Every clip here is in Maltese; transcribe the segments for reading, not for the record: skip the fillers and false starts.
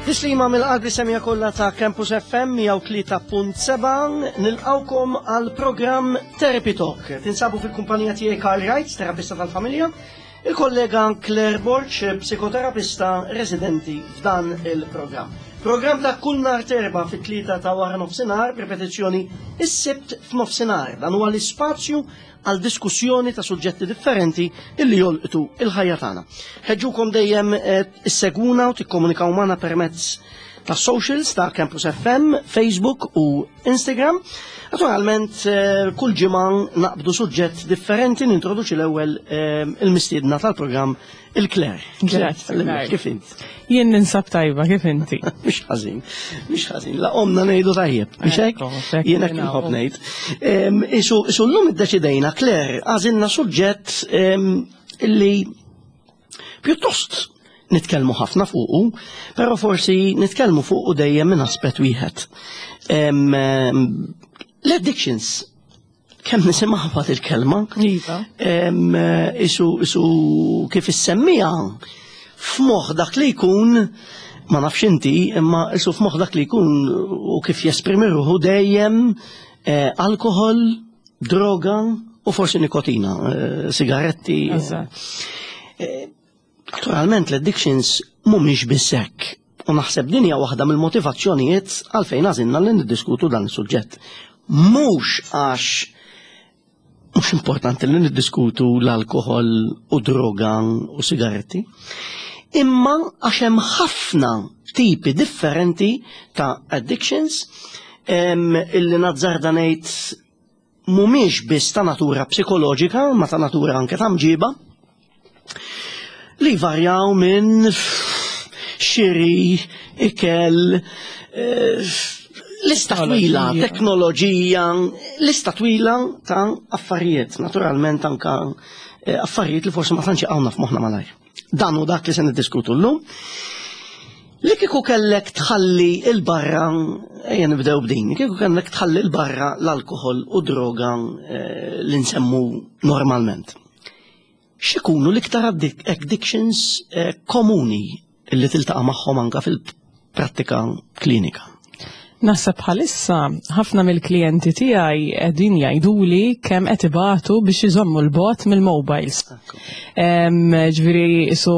Tislima mill-qalb li semija kollha ta' Campus FM 103.7 nilqawkom għal programm Therapy Talk. Tinsabu fil-kumpanija tiegħi Karl Wright, terapista tal-familja, il-kollega Claire Borg, psikoterapista residenti f'dan il-programm. Programm ta' kull nhar terba fit-tlieta ta' wara nofsinhar, ripetizzjoni is-sibt f'nofsinhar. Dan huwa l-ispazju għal diskussjoni ta' suġġetti differenti illi jolqtu il-ħajja tagħna. Ħeġġukom dejjem eh, issegwuna u tikkomunikaw magħna permezz ta' socials ta' Campus FM, Facebook u Instagram. Naturalment, eh, kull ġimgħa naqbdu suġġett differenti nintroduċi l-ewwel eh, il-mistiedna tal-programm Il-Claire. Grazzi. Kif int? Jien ninsab tajba, kif inti? Mhux ħażin, mhux ħażin. La omna ngħidu tajjeb, mhux hekk? Jien hekk inħobb ngħid. Isu llum iddeċidejna, Claire, għażilna suġġett illi pjuttost nitkellmu ħafna fuqu, però forsi nitkellmu fuqu dejjem minn aspett wieħed. L-addictions kemm nisimgħha il-kelma. Iva. Isu, isu kif issemmija f'moħħ dak li jkun ma nafx inti, imma isu f'moħħ dak li jkun u kif jesprimi ruħu dejjem eh, alkohol, droga u forsi nikotina, eh, sigaretti. Eh, naturalment l-addictions mhumiex biss hekk. U naħseb din hija waħda mill-motivazzjonijiet għalfejn għażilna li niddiskutu dan is-suġġett. Mhux għax mhux importanti li niddiskutu l-alkohol u droga u sigaretti, imma għax hemm ħafna tipi differenti ta' addictions illi nazzarda ngħid mhumiex biss ta' natura psikoloġika, ma ta' natura anke ta' mġiba, li varjaw minn xiri, ikel, eh, lista twila, teknoloġija, lista twila ta' affarijiet, naturalment anka eh, affarijiet li forsi ma tantx għawna f'moħħna malajr. Dan hu dak li se niddiskutu llum. Li kieku kellek tħalli il-barra, ejja nibdew b'din, kieku kellek tħalli il-barra l-alkohol u droga eh, li nsemmu normalment. X'ikunu l-iktar addictions eh, komuni li tiltaqa' magħhom anka fil-prattika klinika? Naħseb bħalissa ħafna mill-klijenti tiegħi qegħdin jgħiduli kemm qed ibatu biex iżommu l-bot mill-mobiles. Ġifieri isu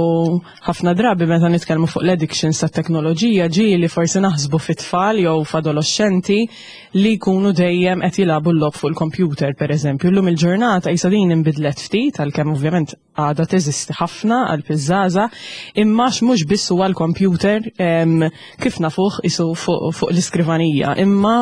ħafna drabi meta nitkellmu fuq l-addictions tat-teknoloġija ġieli forsi naħsbu fit-tfal jew f'adolescenti li jkunu dejjem qed jilagħbu l-logħob fuq il-computer pereżempju. Llum il-ġurnata isa din inbidlet ftit għalkemm ovvjament għadha teżisti ħafna għal iż-żgħażagħ, imma mhux biss huwa l-kompjuter kif nafuh isu fuq fu l-iskrivanija, imma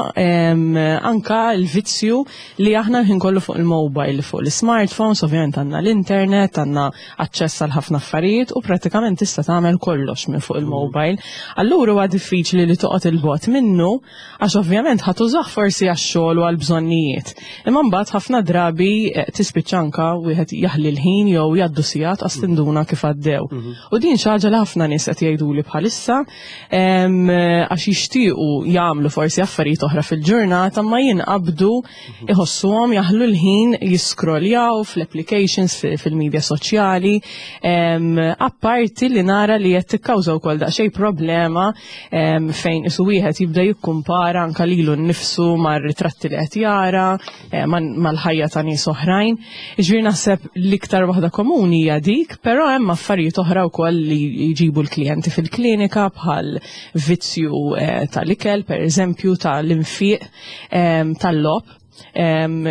anka l-vizzju li aħna l-ħin kollu fuq il-mobile, fuq l-smartphones, ovvjament għandna l-internet, għandna aċċess għal ħafna affarijiet u pratikament tista' tagħmel kollox minn fuq il-mobile. Allura huwa diffiċli li toqgħod il-bot minnu Għax ovvjament ħa tużah forsi għax-xogħol u għall-bżonnijiet. Imma mbagħad ħafna drabi eh, tispiċċa anka wieħed jaħli l-ħin jew jgħaddu sigħat qas tinduna kif għaddew. Mhm. U din xi ħaġa li ħafna nies qed jgħiduli bħalissa għax jixtiequ jagħmlu forsi affarijiet oħra fil-ġurnata ma jinqabdu mhm. iħossuhom jaħlu l-ħin jiskroljaw fl-applications fil-medja soċjali apparti li nara li qed tikkawża wkoll daqsxejn problema fejn isu wieħed jibda jikkumpara anka lilu nnifsu mar-ritratti li qed jara, eh, mal-ħajja ta' nies oħrajn. Ġifieri naħseb l-iktar waħda komuni hija dik, però hemm affarijiet oħra wkoll li jġibu l-klijenti fil-klinika bħal vizzju eh, tal-ikel, pereżempju tal-infiq tal-logħob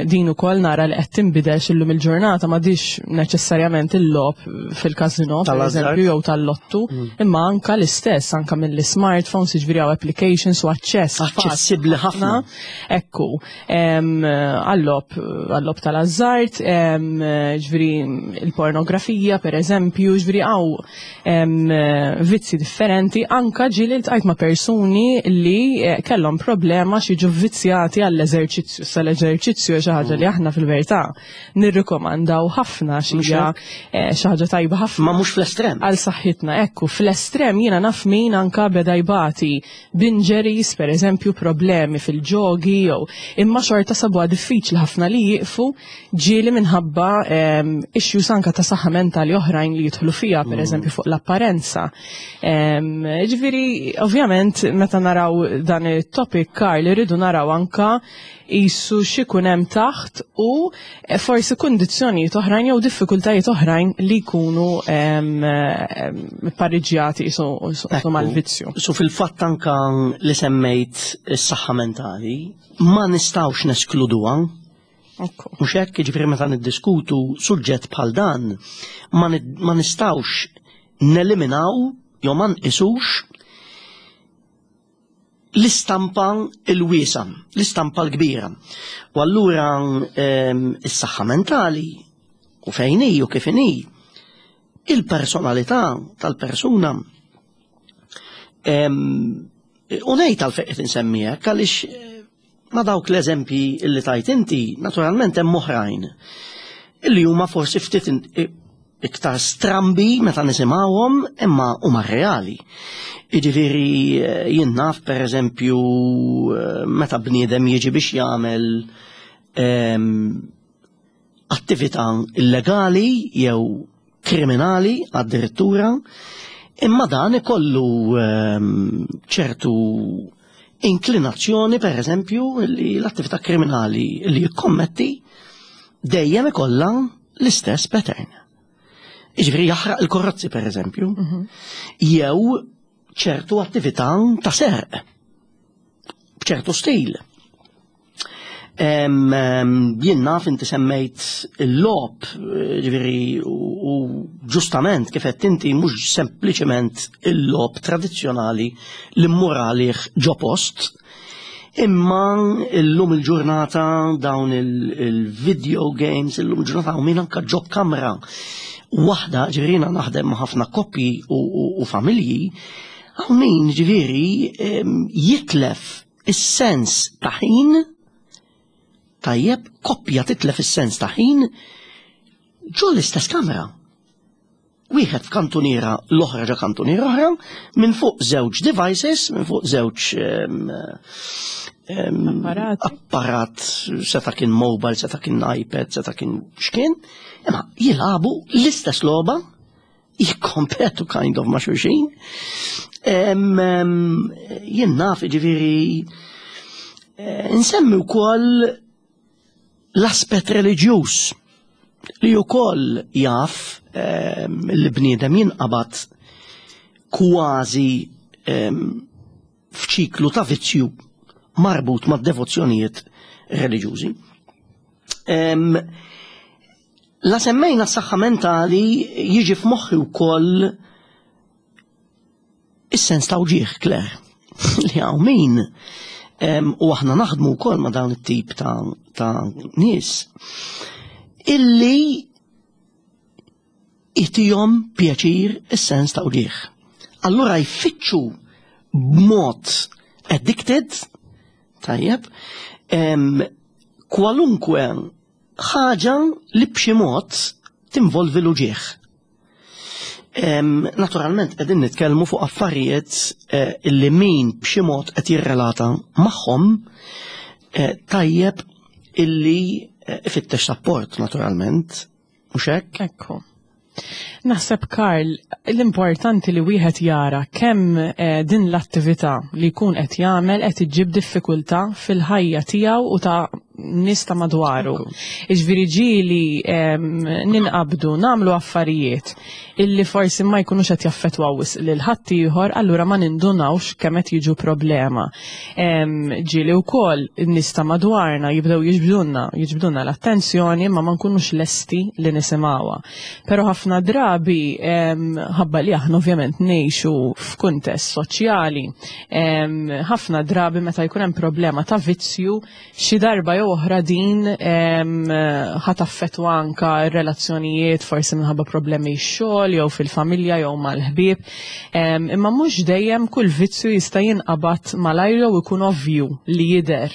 Din ukoll nara li qed tinbidel x'illum il-ġurnata m'għadix neċessarjament il-logħob fil-każinò pereżempju jew tal-lottu, mm. imma anka l-istess anka mill-smartphones jiġifieri hawn applications u aċċess. Aċċessibbli ħafna. Ekku, għall-logħob għall-logħob tal-azzard, ġifieri il-pornografija pereżempju, ġifieri hawn vizzi differenti, anka ġieli ltqajt ma' persuni li eh, kellhom problema xi jiġu vizzjati għall-eżerċizzju. Sa l l-eżerċizzju xi ħaġa li aħna fil-verità nirrikomandaw ħafna xi xi ħaġa tajba ħafna. Ma mhux fl-estrem. Għal saħħitna, ekku, fl-estrem jiena naf min anka beda jbati b'injuries, per eżempju, problemi fil-ġogi jew imma xorta sabuha diffiċli ħafna li jieqfu ġieli minħabba issues anka ta' saħħa mentali oħrajn li jidħlu fiha, per eżempju fuq l-apparenza. Ġifieri, ovvjament, meta naraw dan it-topic, Karl, irridu naraw anka jisu x'ikun hemm taħt u forsi kundizzjonijiet oħrajn jew diffikultajiet oħrajn li jkunu pariġjati jisu mal-vizzju. So fil-fatt anka li semmejt is-saħħa mentali, ma nistgħux neskluduha. Mhux hekk, jiġifieri meta niddiskutu suġġett bħal dan, ma nistgħux neliminaw jew ma nqisux l-istampa l-wiesa, l-istampa l-kbira. U allura is-saħħa mentali u fejn hi u kif inhi, il-personalità tal-persuna. U ngħid għalfejn qed insemmi hekk għaliex ma dawk l-eżempji li tajt inti, naturalment hemm oħrajn illi huma forsi ftit iktar strambi meta nisimgħuhom imma huma reali. Jiġifieri jien naf pereżempju meta bniedem jiġi biex jagħmel attività illegali jew kriminali addirittura, imma dan ikollu ċertu inklinazzjoni pereżempju li l-attività kriminali li jikkommetti dejjem ikollha l-istess pattern. Jiġifieri jaħraq il-korrozzi pereżempju, jew ċertu attività ta' serq b'ċertu stil. Jien naf inti semmejt il-logħob, ġifieri u ġustament kif qed inti mhux sempliċement il-logħob tradizzjonali li mmur għalih ġo post, imma illum il-ġurnata dawn il-video games, illum il-ġurnata hawn min anke ġo kamra waħda, ġifieri jiena naħdem ma' ħafna koppji u familji, hawn min ġifieri jitlef is-sens ta' ħin, tajjeb, koppja titlef is-sens ta' ħin ġo l-istess kamra. Wieħed f'kantuniera, l-oħra ġo kantuniera oħra, minn fuq żewġ devices, minn fuq żewġ apparat, seta' kien mobile, seta' kien iPad, seta' kien x'kien, imma jilagħbu l-istess logħba, jikkompetu kind of ma' xulxin. Jien naf, ġifieri, nsemmi wkoll l-aspett reliġjuż li wkoll jaf li bniedem jinqabad kważi f'ċiklu ta' vizzju marbut ma' devozzjonijiet reliġjużi. La semmejna s-saħħa mentali jiġi f'moħħi wkoll is-sens ta' wġieħ, Claire, li hawn min u aħna naħdmu wkoll ma' dawn it-tip ta' nies illi itihom pjaċir is-sens ta' wġieħ. Allura jfittxu b'mod addicted, tajjeb, kwalunkwe ħaġa li b'xi mod tinvolvi l-uġieħ. Naturalment qegħdin nitkellmu fuq affarijiet illi min b'xi mod qed jirrelata magħhom tajjeb illi ifittex sapport naturalment, mhux hekk? Ekku. Naħseb, Karl, l-importanti li wieħed jara kemm din l-attività li jkun qed jagħmel qed iġġib diffikultà fil-ħajja tiegħu u ta' nies ta' madwaru. Jiġifieri ġieli ninqabdu nagħmlu affarijiet illi forsi ma jkunux qed jaffettwaw wisq lil ħaddieħor, allura ma nindunawx kemm qed jiġu problema. Ġieli wkoll in-nies ta' madwarna jibdew jiġbdulna l-attenzjoni imma ma nkunux lesti li nisimgħuha. Però ħafna drabi ħabba li aħna ovvjament ngħixu f'kuntest soċjali, ħafna drabi meta jkun hemm problema ta' vizzju xi darba jew jew oħra din ħa taffettwa anka r-relazzjonijiet forsi minħabba problemi x-xogħol jew fil-familja jew mal-ħbieb. Imma mhux dejjem kull vizzju jista' jinqabad malajr jew ikun ovvju li jidher.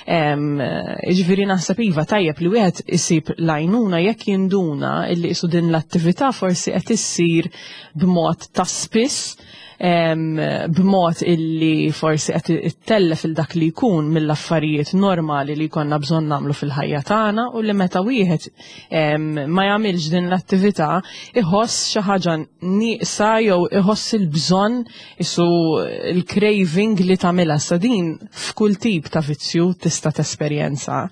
Jiġifieri naħseb iva tajjeb li wieħed isib l-għajnuna jekk jinduna illi qisu din l-attività forsi qed issir b'mod ta' spiss b'mod illi forsi qed ittellef il dak li jkun mill-affarijiet normali li jkollna bżonn nagħmlu fil-ħajja tagħna u li meta wieħed ma jagħmilx din l-attività iħoss xi ħaġa nieqsa jew iħoss il-bżonn isu l-craving li tagħmilha sa din f'kull tip ta' vizzju tista' tesperjenza.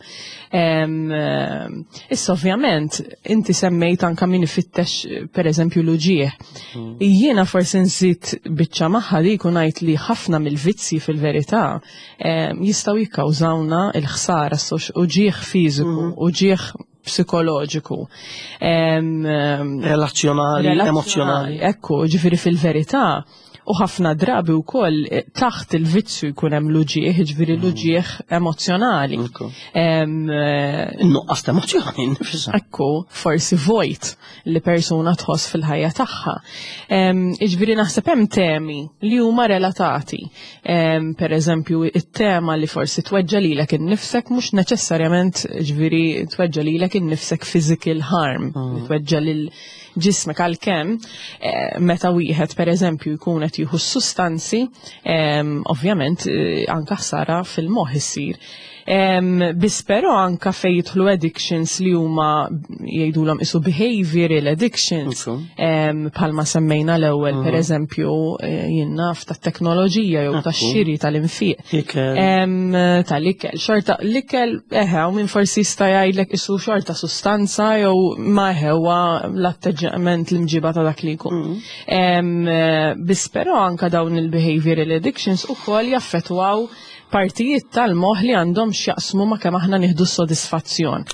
Issa ovvjament inti semmejt anka min ifittex pereżempju l-uġieħ. Mhm. Jiena forsi nżid biċċa magħha li jkun ngħid li ħafna mill-vizzji fil-verità jistgħu jikkawżawna l-ħsara uġieħ fiżiku, mhm. uġieħ psikoloġiku. Relazzjonali, emozjonali. Ekku, ġifiri fil-verità, U ħafna drabi wkoll eh, taħt il-vizzju jkun hemm l-uġieħ, ġifieri mm. l-uġieħ emozjonali. Eh, Nuqqas ta' emozjoni nifisha. Ekku, forsi vojt li persuna tħoss fil-ħajja tagħha. Jiġifieri naħseb hemm temi li huma relatati. Per eżempju, it-tema li forsi tweġġa lilek innifsek mhux neċessarjament ġifieri tweġġa lilek innifsek physical harm, mm. tweġġa lil ġismek għalkemm eh, meta wieħed pereżempju jkun qed jieħu s-sustanzi, ovvjament eh, anka ħsara fil-moħħ issir. Biss però anka fejn jidħlu addictions li huma jgħidulhom isu behavioral addictions bħalma semmejna l-ewwel mhm. pereżempju eh, jien naf tat-teknoloġija jew tax-xiri tal-infiq. Tal-ikel. Xorta l-ikel eħe u min forsi jista' jgħidlek isu xorta sustanza jew ma eħe huwa l-atteġġament l-imġiba ta' dak li jkun. Mm. Biss però anka dawn il-behavioral addictions ukoll jaffettwaw partijiet tal-moħħ li għandhom x'jaqsmu ma' kemm aħna nieħdu s-sodisfazzjon.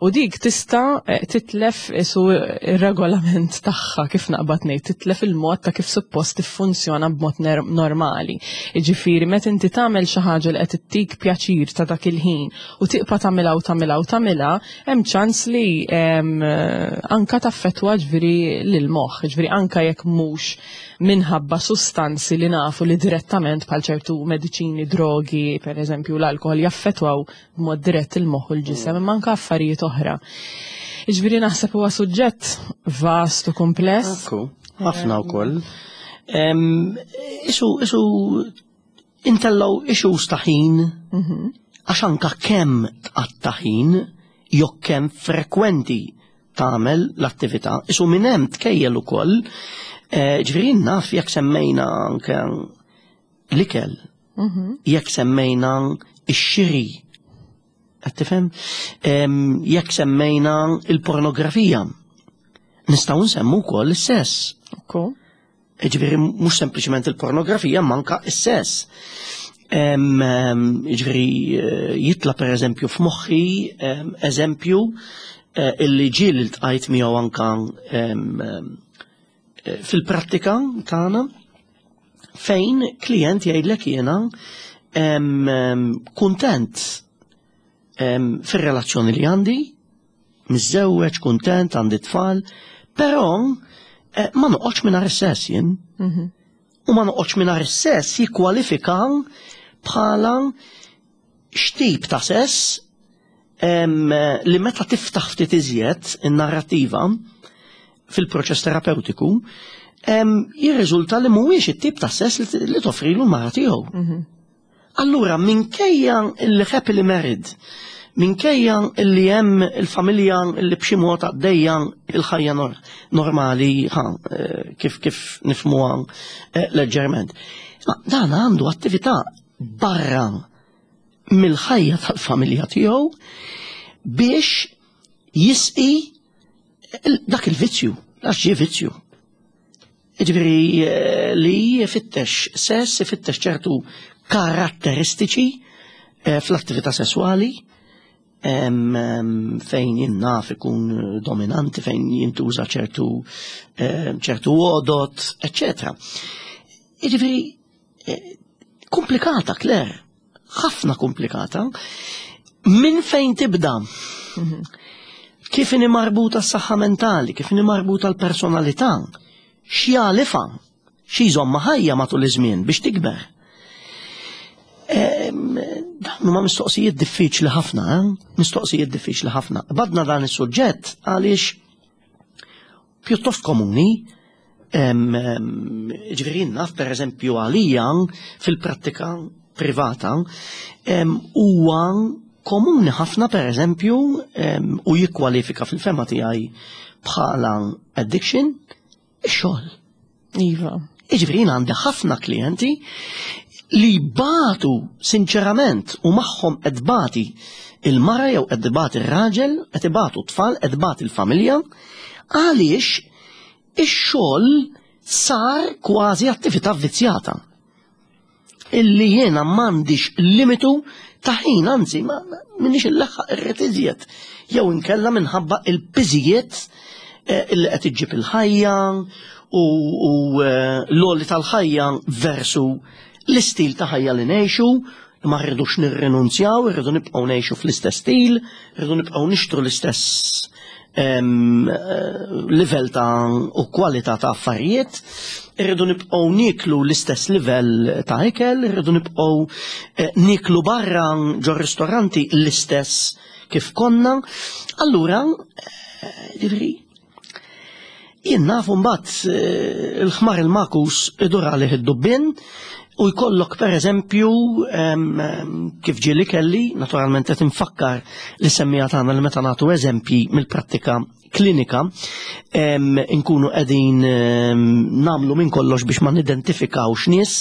U dik tista' eh, titlef isu ir-regolament tagħha kif naqbad ngħid, titlef il-mod ta' kif suppost tiffunzjona b'mod normali. Jiġifieri meta inti tagħmel xi ħaġa li qed ittik pjaċir ta' dak il-ħin u tibqa' tagħmilha u tagħmilha u tagħmilha, hemm ċans li anka taffettwa ġifieri lill-moħħ, ġifieri anka jekk mhux minħabba sustanzi li nafu li direttament bħal ċertu mediċini, drogi, per eżempju l-alkohol jaffettwaw b'mod dirett il-moħħ u l-ġisem, imma anke affarijiet oħra. Jiġifieri naħseb huwa suġġett vast u kumpless. Ekku, ħafna wkoll. Isu, isu intellaw issues ta' ħin, mhm. għax anka kemm tqatta' ħin, jew kemm frekwenti tagħmel l-attività, isu minn hemm tkejjel ukoll, eh, ġifieri naf jekk semmejna anke l-ikel, mhm. jekk semmejna ix-xiri, qed tifhem? Jekk semmejna il-pornografija, nistgħu nsemmu wkoll is-sess. Ġifieri mhux sempliċement il-pornografija manka is-sess. Ġifieri eh, jitla per eżempju f'moħħi eżempju eh, illi ġiel iltqajt miegħu anka eh, fil-prattika tagħna fejn klient jgħidlek jiena kuntent fir-relazzjoni li għandi, miżżewweġ, kuntent, għandi tfal, però eh, ma noqgħodx mingħajr is-sess jien. Mhm. U ma noqgħodx mingħajr is-sess jikkwalifika bħala x'tip ta' sess li meta tiftaħ ftit iżjed in-narrattiva fil-proċess terapeutiku, jirriżulta li mhuwiex it-tip ta' sess li toffrilu l-mara tiegħu. Mhm. Allura minkejja li happily married, minkejja li hemm il-familja li b'xi mod għaddejja il-ħajja normali eh, kif kif nifhmuha eh, leġġerment. Ma dan għandu attività barra mill-ħajja tal-familja tiegħu biex jisqi dak il-vizzju, għax ġie vizzju. Ġifieri eh, li jfittex sess, ifittex ċertu karatteristiċi eh, fl-attività sesswali fejn jinnaf ikun dominanti, fejn jintuża ċertu eh, ċertu għodot, eccetera. Ġifieri komplikata, Claire, ħafna komplikata. Minn fejn tibda? Kif inhi marbuta s-saħħa mentali, kif inhi marbuta l-personalità, x'jagħlifha, xi jżommha ħajja matul iż-żmien biex tikber. Dawn huma mistoqsijiet diffiċli ħafna, eh? Mistoqsijiet diffiċli ħafna. Badna dan is-suġġett għaliex pjuttost komuni ġifieri naf per eżempju għalija fil-prattika privata huwa komuni ħafna per eżempju u jikkwalifika fil-fema tiegħi bħala addiction ix-xogħol. Iva. Jiġifieri jien għandi ħafna klijenti li batu sinċerament u magħhom qed bati il-mara jew qed bati ir-raġel, qed ibatu t-tfal, qed bati l-familja, għaliex ix-xogħol sar kważi attività vizzjata. Illi jiena m'għandix limitu ta' ħin, anzi, ma minix il-laħħaq irrid iżjed. Jew inkella minħabba il-piżijiet eh, illi qed iġġib il-ħajja u eh, l-għoli tal-ħajja versu l-istil ta' ħajja li ngħixu, ma rridux nirrinunzjaw, rridu nibqgħu ngħixu fl-istess stil, rridu nibqgħu nixtru l-istess eh, livell ta' u kwalità ta' affarijiet, irridu nibqgħu niklu l-istess livell ta' ikel, irridu nibqgħu eh, niklu barra ġo ristoranti l-istess kif konna. Allura, eh, ġifieri, jien naf mbagħad eh, il-ħmar il-makus idur għalih id-dubbien u jkollok per eżempju kif ġieli kelli, naturalment qed infakkar li semmija tagħna li meta nagħtu eżempji mill-prattika klinika nkunu qegħdin nagħmlu minn kollox biex ma nidentifikawx nies.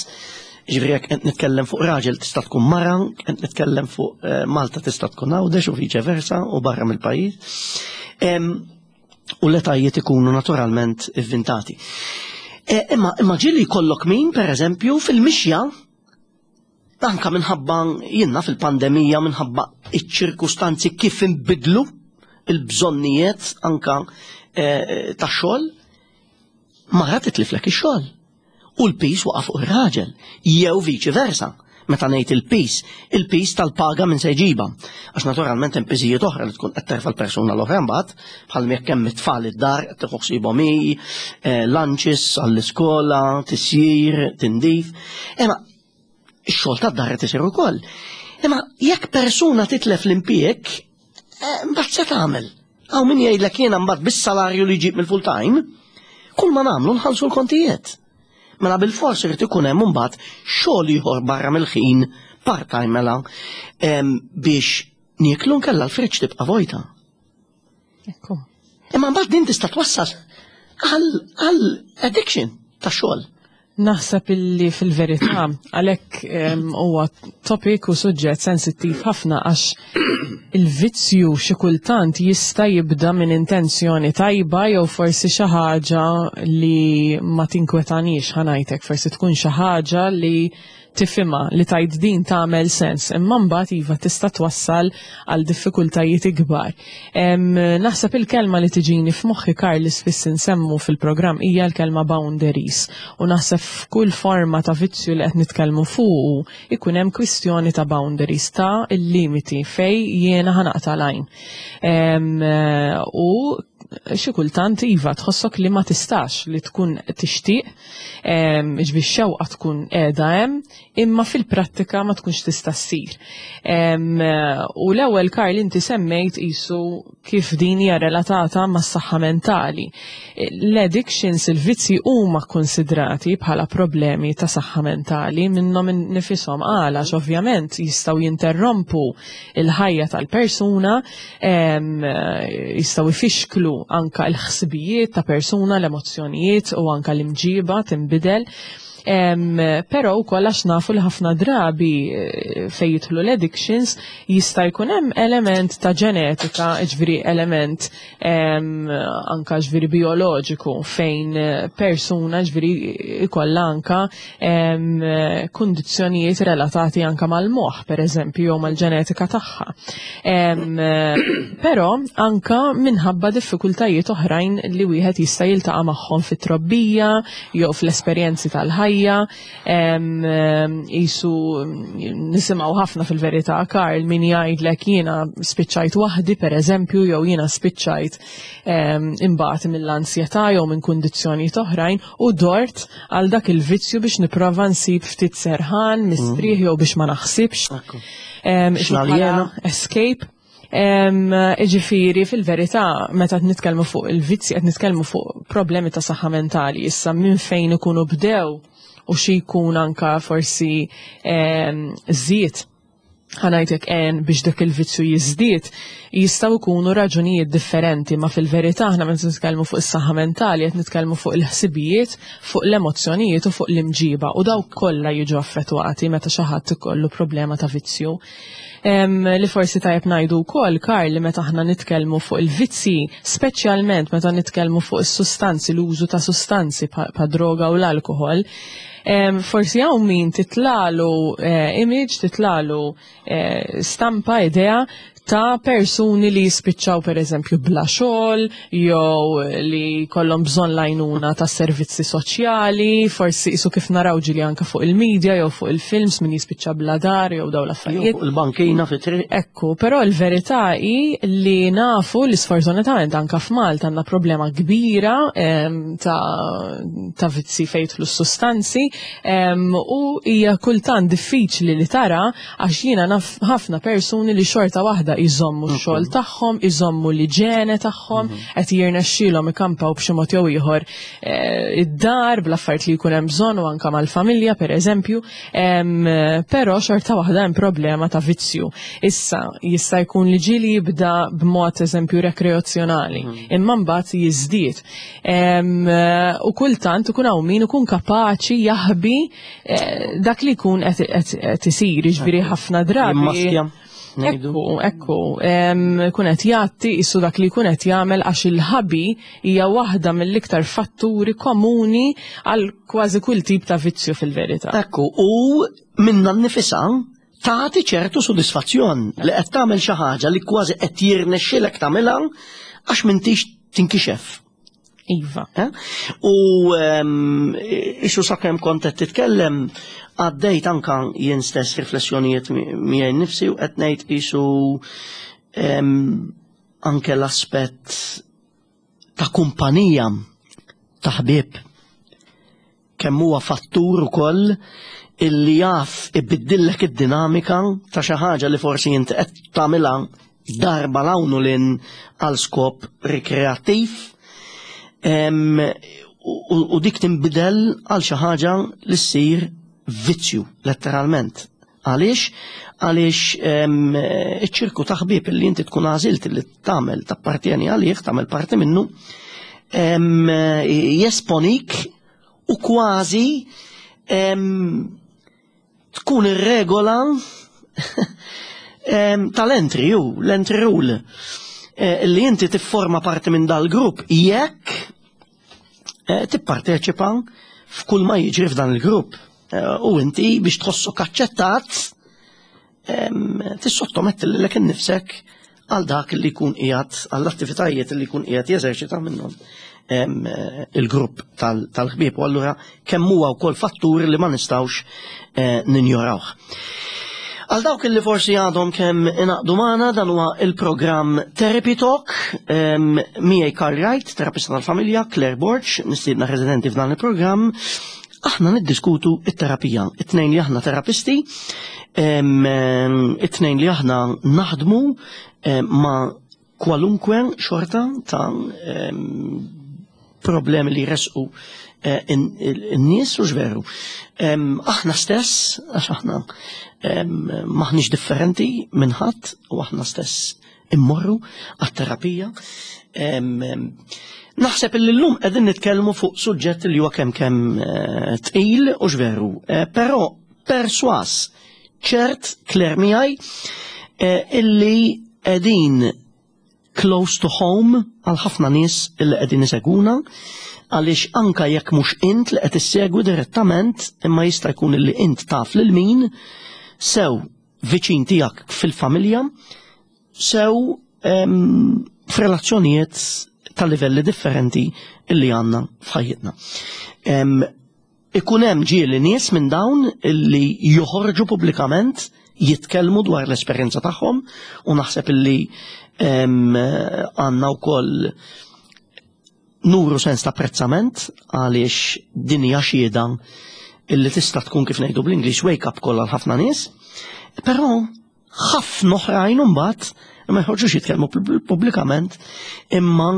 Ġifieri jekk qed nitkellem fuq raġel tista' tkun mara, qed nitkellem fuq eh, Malta tista' tkun Għawdex u viċe versa u barra mill-pajjiż. U l-etajiet ikunu naturalment ivvintati. E, imma imma ġieli jkollok min, per eżempju, fil-mixja, anka minħabba jinnna fil-pandemija, minħabba iċ-ċirkustanzi kif inbidlu il-bżonnijiet anka e, ta' xogħol, mara titliflek ix-xogħol. U l-piż waqa' fuq ir-raġel, jew viċi versa. Meta ngħid il-piż, il-piż tal-paga minn se jġibha. Għax naturalment hemm piżijiet oħra li tkun qed terfa' l-persuna l-oħra mbagħad, bħal jekk hemm it-tfal id-dar qed tieħu ħsiebhom hi, eh, lunches għall-iskola, tisjir, tindif. Imma ix-xogħol tad-dar qed isir ukoll. Imma jekk persuna titlef l-impjieg, eh, mbagħad se tagħmel? Hawn min jgħidlek jiena mbagħad bis-salarju li jġib mill-full time, kull ma nagħmlu nħallsu l-kontijiet. Mela bil-fors irid ikun hemm imbagħad xogħol ieħor barra mill-ħin part-time mela biex nieklu nkella l-friġġ tibqa' vojta. Ekku. Imma mbagħad din tista' twassal għal addiction ta' xogħol. Naħseb illi fil-verità għalhekk huwa topic u suġġett sensittiv ħafna għax il-vizzju xi kultant jista' jibda minn intenzjoni tajba jew forsi xi ħaġa li ma tinkwetanix ħa ngħidlek, forsi tkun xi ħaġa li tifhimha li tgħid din tagħmel sens, imma mbagħad iva tista' twassal għal diffikultajiet ikbar. Naħseb il-kelma li tiġini f'moħħi Karl li spiss insemmu fil-programm hija l-kelma boundaries u naħseb f'kull forma ta' vizzju li qed nitkellmu fuqu ikun hemm kwistjoni ta' boundaries ta' il-limiti fej jiena ħanaqta' l-għajn. U xi kultant iva tħossok li ma tistax li tkun tixtieq ġbi xewqa tkun qiegħda hemm, imma fil-prattika ma tkunx tista' ssir. U l-ewwel Karl inti semmejt qisu kif din hija relatata mas-saħħa mentali. L-addictions, il-vizzji huma kkonsidrati bħala problemi ta' saħħa mentali minnhom nifishom għala ovvjament jistgħu jinterrompu il-ħajja tal-persuna, jistgħu jfixklu anka l-ħsibijiet ta' persuna, l-emozzjonijiet u anka l-imġiba tinbidel. Però wkoll għax nafu li ħafna drabi eh, fejn jidħlu l-addictions jista' jkun hemm element ta' ġenetika, ġifieri element anka ġifieri bioloġiku fejn eh, persuna ġifieri ikollha anka kundizzjonijiet relatati anka mal-moħħ, per eżempju, jew mal-ġenetika tagħha. Però anka minħabba diffikultajiet oħrajn li wieħed jista' jiltaqa' magħhom fit-trobbija jew fl-esperjenzi tal-ħajja. fil-ħajja, jisu nisimgħu ħafna fil-verità Karl min jgħidlek jiena spiċċajt waħdi pereżempju jew jiena spiċċajt imbagħad mill-ansjetà jew minn kundizzjonijiet oħrajn u dort għal dak il-vizzju biex nipprova nsib ftit serħan, mistrieħ jew biex ma naħsibx. Escape. Iġifiri, fil-verità, meta qed nitkellmu fuq il-vizzi, qed nitkellmu fuq problemi ta' saħħa mentali. Issa minn fejn ikunu bdew u xi jkun anka forsi żied ħanajtek en biex dak il-vizzju jiżdied, jistgħu jkunu raġunijiet differenti, ma fil-verità aħna meta nitkellmu fuq is-saħħa mentali qed nitkellmu fuq il-ħsibijiet, fuq l-emozzjonijiet u fuq l-imġiba u dawk kollha jiġu affettwati meta xi ħadd ikollu problema ta' vizzju. Li forsi tajjeb ngħidu wkoll, Karl, li meta aħna nitkellmu fuq il-vizzji, speċjalment meta nitkellmu fuq is-sustanzi, l-użu ta' sustanzi pa' droga u l-alkoħol, forsi hawn min titlalu image, titlalu stampa, idea ta' persuni li jispiċċaw per eżempju bla xogħol jew li kollhom bżonn l-għajnuna ta' servizzi soċjali, forsi isu kif naraw ġili anka fuq il-medja jew fuq il-films min jispiċċa bla dar jew dawn l-affarijiet. Fuq il-bankina fi triq. Ekku, però l-verità hi li nafu li sfortunatament anka f'Malta għandna problema kbira ta' vizzi fejn jidħlu s-sustanzi u hija kultant diffiċli li tara għax jiena naf ħafna persuni li xorta waħda jżommu x-xogħol tagħhom, iżommu l-iġene tagħhom, qed jirnexxielhom ikampaw b'xi mod jew ieħor id-dar bl-affarijiet li jkun hemm bżonn u anke mal-familja pereżempju, però xorta waħda hemm problema ta' vizzju. Issa jista' jkun li ġieli jibda b'mod eżempju rekreazzjonali, imma mbagħad jiżdied. U kultant ikun hawn min ikun kapaċi jaħbi dak li jkun qed isir, jiġifieri ħafna drabi. Ekku, ekku, kun qed jgħatti isu dak li jkun qed jagħmel għax il-ħabi hija waħda mill-iktar fatturi komuni għal kważi kull tip ta' vizzju fil-verità. Ekku, u minna nnifisha tagħti ċertu sodisfazzjon li qed tagħmel xi ħaġa li kważi qed jirnexxilek tagħmilha għax m'intix tinkixef. Iva. U isu sakemm kont qed titkellem għaddejt anka jien stess riflessjonijiet miegħi nnifsi u qed ngħid isu anke l-aspett ta' kumpanija ta' ħbieb kemm huwa fattur ukoll illi jaf ibiddillek id-dinamika ta' xi ħaġa li forsi inti qed tagħmilha darba l-hawn u lin għal skop rikreattiv u dik tinbidel għal xi ħaġa li ssir vizzju letteralment. Għaliex? Għaliex iċ-ċirku ta' ħbieb li inti tkun għażilt li tagħmel tappartjeni għalih, tagħmel parti minnu, jesponik u kważi tkun ir-regola tal-entry u l-entry rule li inti tifforma parti minn dal-grupp jekk tipparteċipa f'kull ma jiġri f'dan il-grupp. U inti biex tħossok aċċettat tissottometti lilek innifsek għal dak li jkun qiegħed għall-attivitajiet li jkun qiegħed jeżerċita minnhom il-grupp tal-ħbieb. U allura kemm huwa wkoll fattur li ma nistgħux ninjorawh. Għal dawk li forsi għadhom kemm ingħaqdu magħna, dan huwa il-programm Therapy Talk miegħi Karl Wright, terapista tal-familja, Claire Borg, mistiedna residenti f'dan il-programm. Aħna niddiskutu it-terapija. It-tnejn li aħna terapisti, it-tnejn li aħna naħdmu ma' kwalunkwe xorta ta' problemi li jresqu in-nies u x'veru. Aħna stess, għax aħna maħniex differenti minn ħadd u aħna stess immorru għat-terapija. Naħseb li llum qegħdin nitkellmu fuq suġġett li huwa kemm kemm tqil u x'veru, però perswas ċert Claire miegħi illi qegħdin close to home għal ħafna nies illi qegħdin isegwuna, għaliex anka jekk mhux int li qed issegwi direttament, imma jista' jkun illi int taf lil min sew viċin tiegħek fil-familja, sew f'relazzjonijiet ta' livelli differenti illi għandna f'ħajjitna. Ikun hemm ġieli nies minn dawn illi joħorġu pubblikament jitkellmu dwar l-esperjenza tagħhom u naħseb illi għandna wkoll nuru sens ta' apprezzament għaliex din hija xhieda illi tista' tkun kif ngħidu bl-Ingliż wake up call għal ħafna nies, però ħafna oħrajn imbagħad ma jħorġux jitkellmu pubblikament imma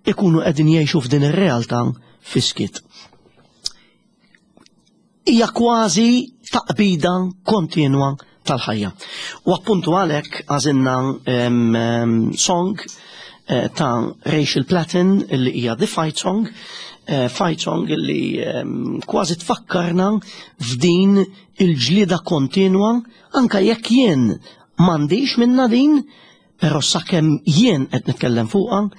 ikunu qegħdin jgħixu f'din ir-realtà fiskit. Hija kważi taqbida kontinwa tal-ħajja. U appuntu għalhekk għażilna song eh, ta' Rachel Platten li hija The Fight Song, eh, Fight Song li kważi tfakkarna f'din il-ġlieda kontinwa anka jekk jien m'għandix minna din, però sakemm jien qed nitkellem fuqha,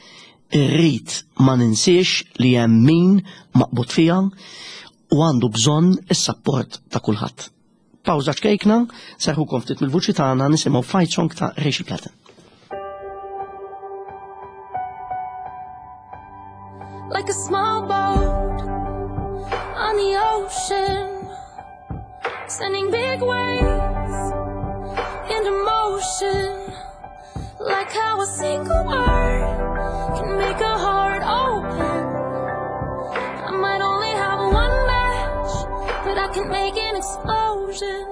irrid ma ninsiex li hemm min maqbud fiha u għandu bżonn is-sapport ta' kulħadd. Pawża ċkejkna, serħukom ftit mill-vuċi tagħna nisimgħu Fight Song ta' Rachel Platten. Like a small boat on the ocean, sending big waves into motion. Like how a single word can make a heart open. I might only have one match, but I can make an explosion.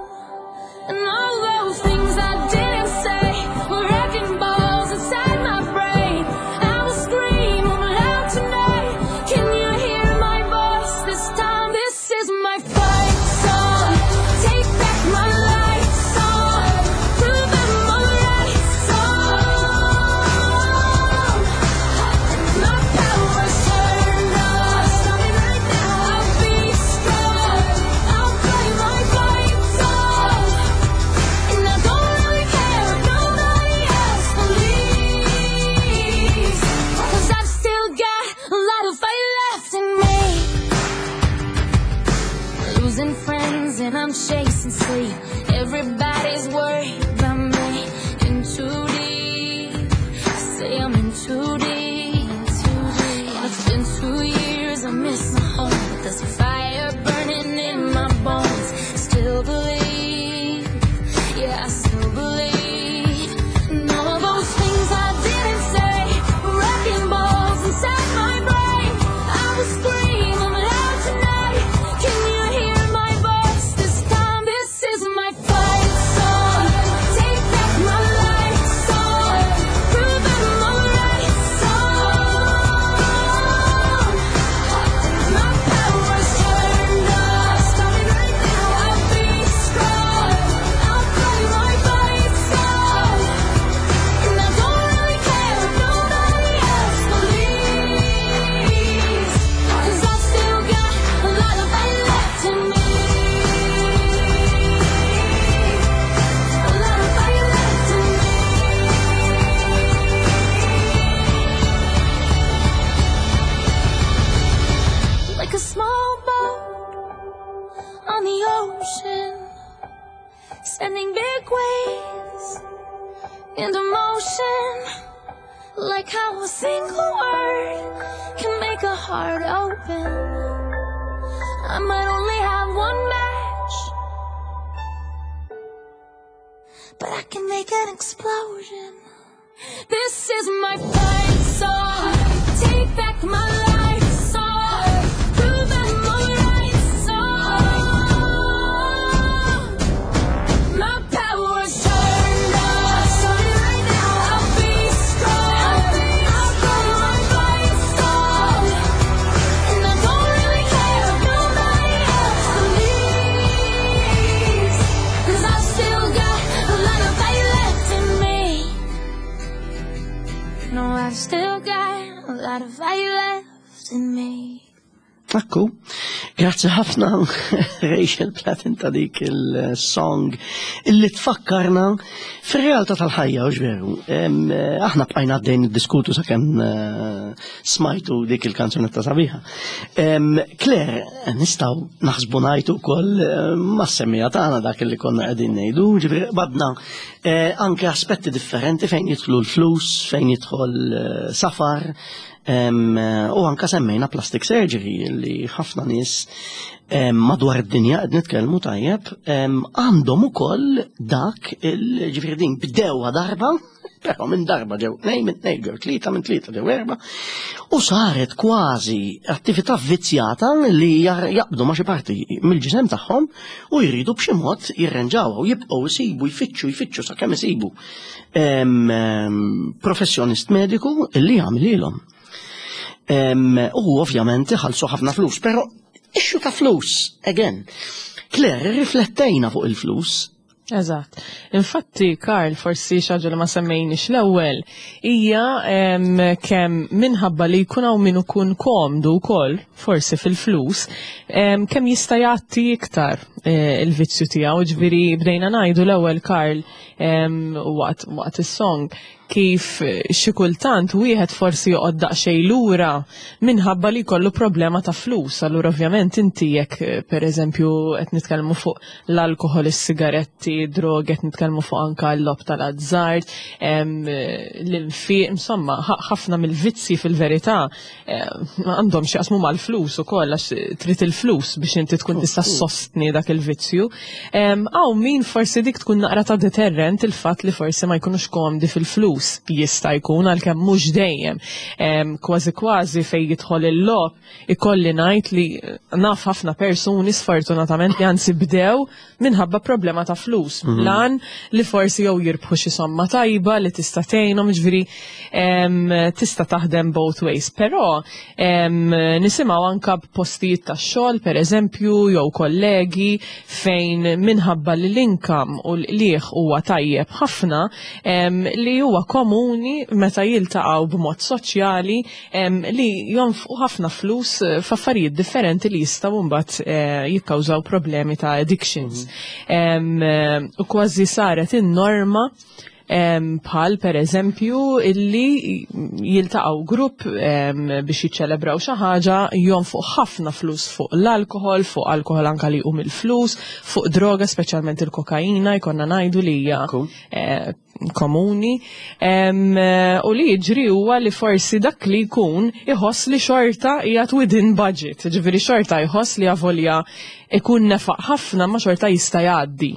And all those things I didn't say were wrecking balls inside my brain. I will scream loud tonight. Can you hear my voice this time? This is my fight song. Take back my life song. Prove I'm alright song. My power's turned on. Starting right now. I'll be strong. I'll play my fight song. And I don't really care if nobody else believes. 'Cause I've still got a lot of fight left in me. Losing friends and I'm chasing sleep. Everybody's worried about me. In too deep. I say I'm in too deep. And it's been 2 years, I miss my home. But there's a fire burning in my bones. Still believe. Yeah, I still believe. And all of those things I didn't say were wrecking balls inside my brain. I will scream them loud tonight. Can you hear my voice this time? This is my fight song. Take back my life song. Prove I'm alright song. My power's turned on. Starting right now. I'll be strong. I'll play my fight song. And I don't really care if nobody else believes. 'Cause I've still got a lot of fight left in me. A lot of fight left in me. Like a small boat on the ocean, sending big waves into motion. Like how a single word can make a heart open. I might only have one match, but I can make an explosion. This is my fight song. Take back my life song. Prove I'm alright song. My power's turned on. Starting right now. I'll be strong. I'll play my fight song. And I don't really care if nobody else believes. 'Cause I've still got a lot of fight left in me. No, I've still got a lot of fight left in me. Ekku, grazzi ħafna Rachel Platten ta' dik il-song illi tfakkarna fir-realtà tal-ħajja, u veru. Aħna bqajna għaddejn niddiskutu sakemm smajtu dik il-kanzunetta sabiħa. Claire, nistgħu naħsbu ngħidu wkoll mas-semmiegħa tagħna dak li konna qegħdin ngħidu, ġifieri badna anke aspetti differenti fejn jidħlu l-flus, fejn jidħol safar. U anka semmejna plastic surgery li ħafna nies madwar id-dinja qed nitkellmu tajjeb għandhom ukoll dak il-ġifieri din bdewha darba, però minn darba ġew tnejn, minn tnejn ġew tlieta, minn tlieta ġew erba', u saret kważi attività vizzjata li jaqbdu ma' xi parti mill-ġisem tagħhom u jridu b'xi mod jirrenġawha u jibqgħu jsibu jfittxu jfittxu sakemm isibu professjonist mediku li jagħmlilhom. U ovvjament iħallsu ħafna flus, però issue ta' flus, again. Claire, riflettejna fuq il-flus. Eżatt. Infatti, Karl, forsi xi ħaġa li ma semmejniex l-ewwel, hija kemm minħabba li jkun hawn min ikun komdu wkoll, forsi fil-flus, kemm jista' jgħatti iktar il-vizzju tiegħu. Ġifieri bdejna ngħidu l-ewwel, Karl, waqt is-song, kif xi kultant wieħed forsi joqgħod daqsxejn lura minħabba li jkollu problema ta' flus. Allura ovvjament inti jekk pereżempju qed nitkellmu fuq l-alkoħol, is-sigaretti, drogi, qed nitkellmu fuq anka l-logħob tal-azzard, l-infiq, insomma, ħafna mill-vizzi fil-verità għandhom xi jaqsmu mal-flus ukoll, għax trid il-flus biex inti tkun tista' ssostni dak il-vizzju. Hawn min forsi dik tkun naqra ta' deterrent, il-fatt li forsi ma jkunux komdi fil-flus, jista' jkun, għalkemm mhux dejjem. Kważi kważi fejn jidħol il-logħob, ikolli ngħid li naf ħafna persuni sfortunatament li anzi bdew minħabba problema ta' flus. Lan li forsi jew jirbħu xi somma tajba li tista' tgħinhom, ġifieri tista' taħdem both ways. Però nisimgħu anka b'postijiet tax-xogħol, pereżempju, jew kollegi fejn minħabba li l-income u l-qligħ huwa tajjeb ħafna, li huwa komuni meta jiltaqgħu b'mod soċjali li jonfqu ħafna flus f'affarijiet differenti li jistgħu mbagħad jikkawżaw problemi ta' addictions. U kważi saret in-norma, bħal per eżempju illi jiltaqgħu grupp biex jiċċelebraw xi ħaġa, jonfqu ħafna flus fuq l-alkohol, fuq alkohol anka li jqum il-flus, fuq droga, speċjalment il-kokaina, jkollna ngħidu li hija komuni. U li jiġri huwa li forsi dak li jkun iħoss li xorta qiegħed within budget, ġifieri xorta jħoss li avolja ikun nefaq ħafna ma xorta jista' jgħaddi.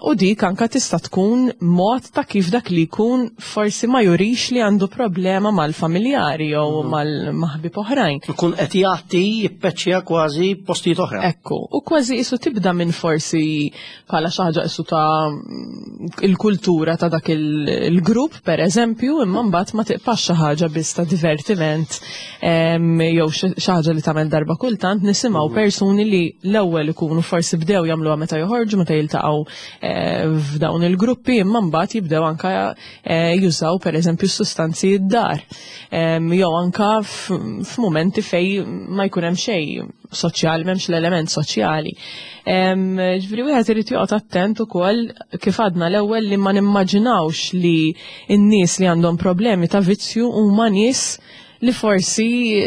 U dik anka tista' tkun mod ta' kif dak li jkun forsi ma jurix li għandu problema mal-familjari jew mal-ħbieb oħrajn. Ikun qed jagħti jippeċċja kważi postijiet oħra. Ekku, u kważi isu tibda minn forsi bħala xi ħaġa isu ta' il-kultura ta' dak il-grupp, per eżempju, imma mbagħad ma tiqpax xi ħaġa biss ta' divertiment, jew xi ħaġa li tagħmel darba kultant, nisimgħu persuni li l-ewwel ikunu forsi bdew jagħmluha meta joħorġu, meta jiltaqgħu f'dawn il-gruppi, imma mbagħad jibdew anka jużaw pereżempju s-sustanzi d-dar. Jew anka f'mumenti fej ma jkun hemm xejn soċjali, m'hemmx l-element soċjali. Ġifieri wieħed irid joqgħod attent ukoll, kif għadna l-ewwel, li ma nimmaġinawx li n-nies li għandhom problemi ta' vizzju huma nies li forsi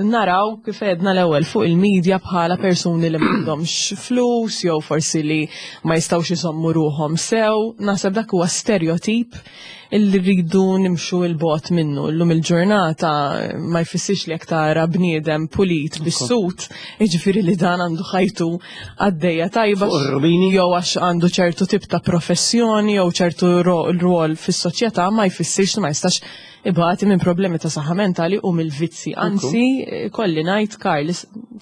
naraw kif għedna l-ewwel fuq il-medja bħala persuni li m'għandhomx flus jew forsi li ma jistgħux iżommu ruħhom sew. Naħseb dak huwa stereotip illi rridu nimxu il-bot minnu. Illum il-ġurnata ma jfissirx li jekk tara bniedem pulit bis-sut, jiġifieri li dan għandu ħajtu għaddejja tajba Fuq ir-rubini. jew għax għandu ċertu tip ta' professjoni jew ċertu rwol fis-soċjetà, ma jfissirx li ma jistax ibati minn problemi ta' saħħa mentali u mill-vizzi. Anzi, kolli ngħid, Karl,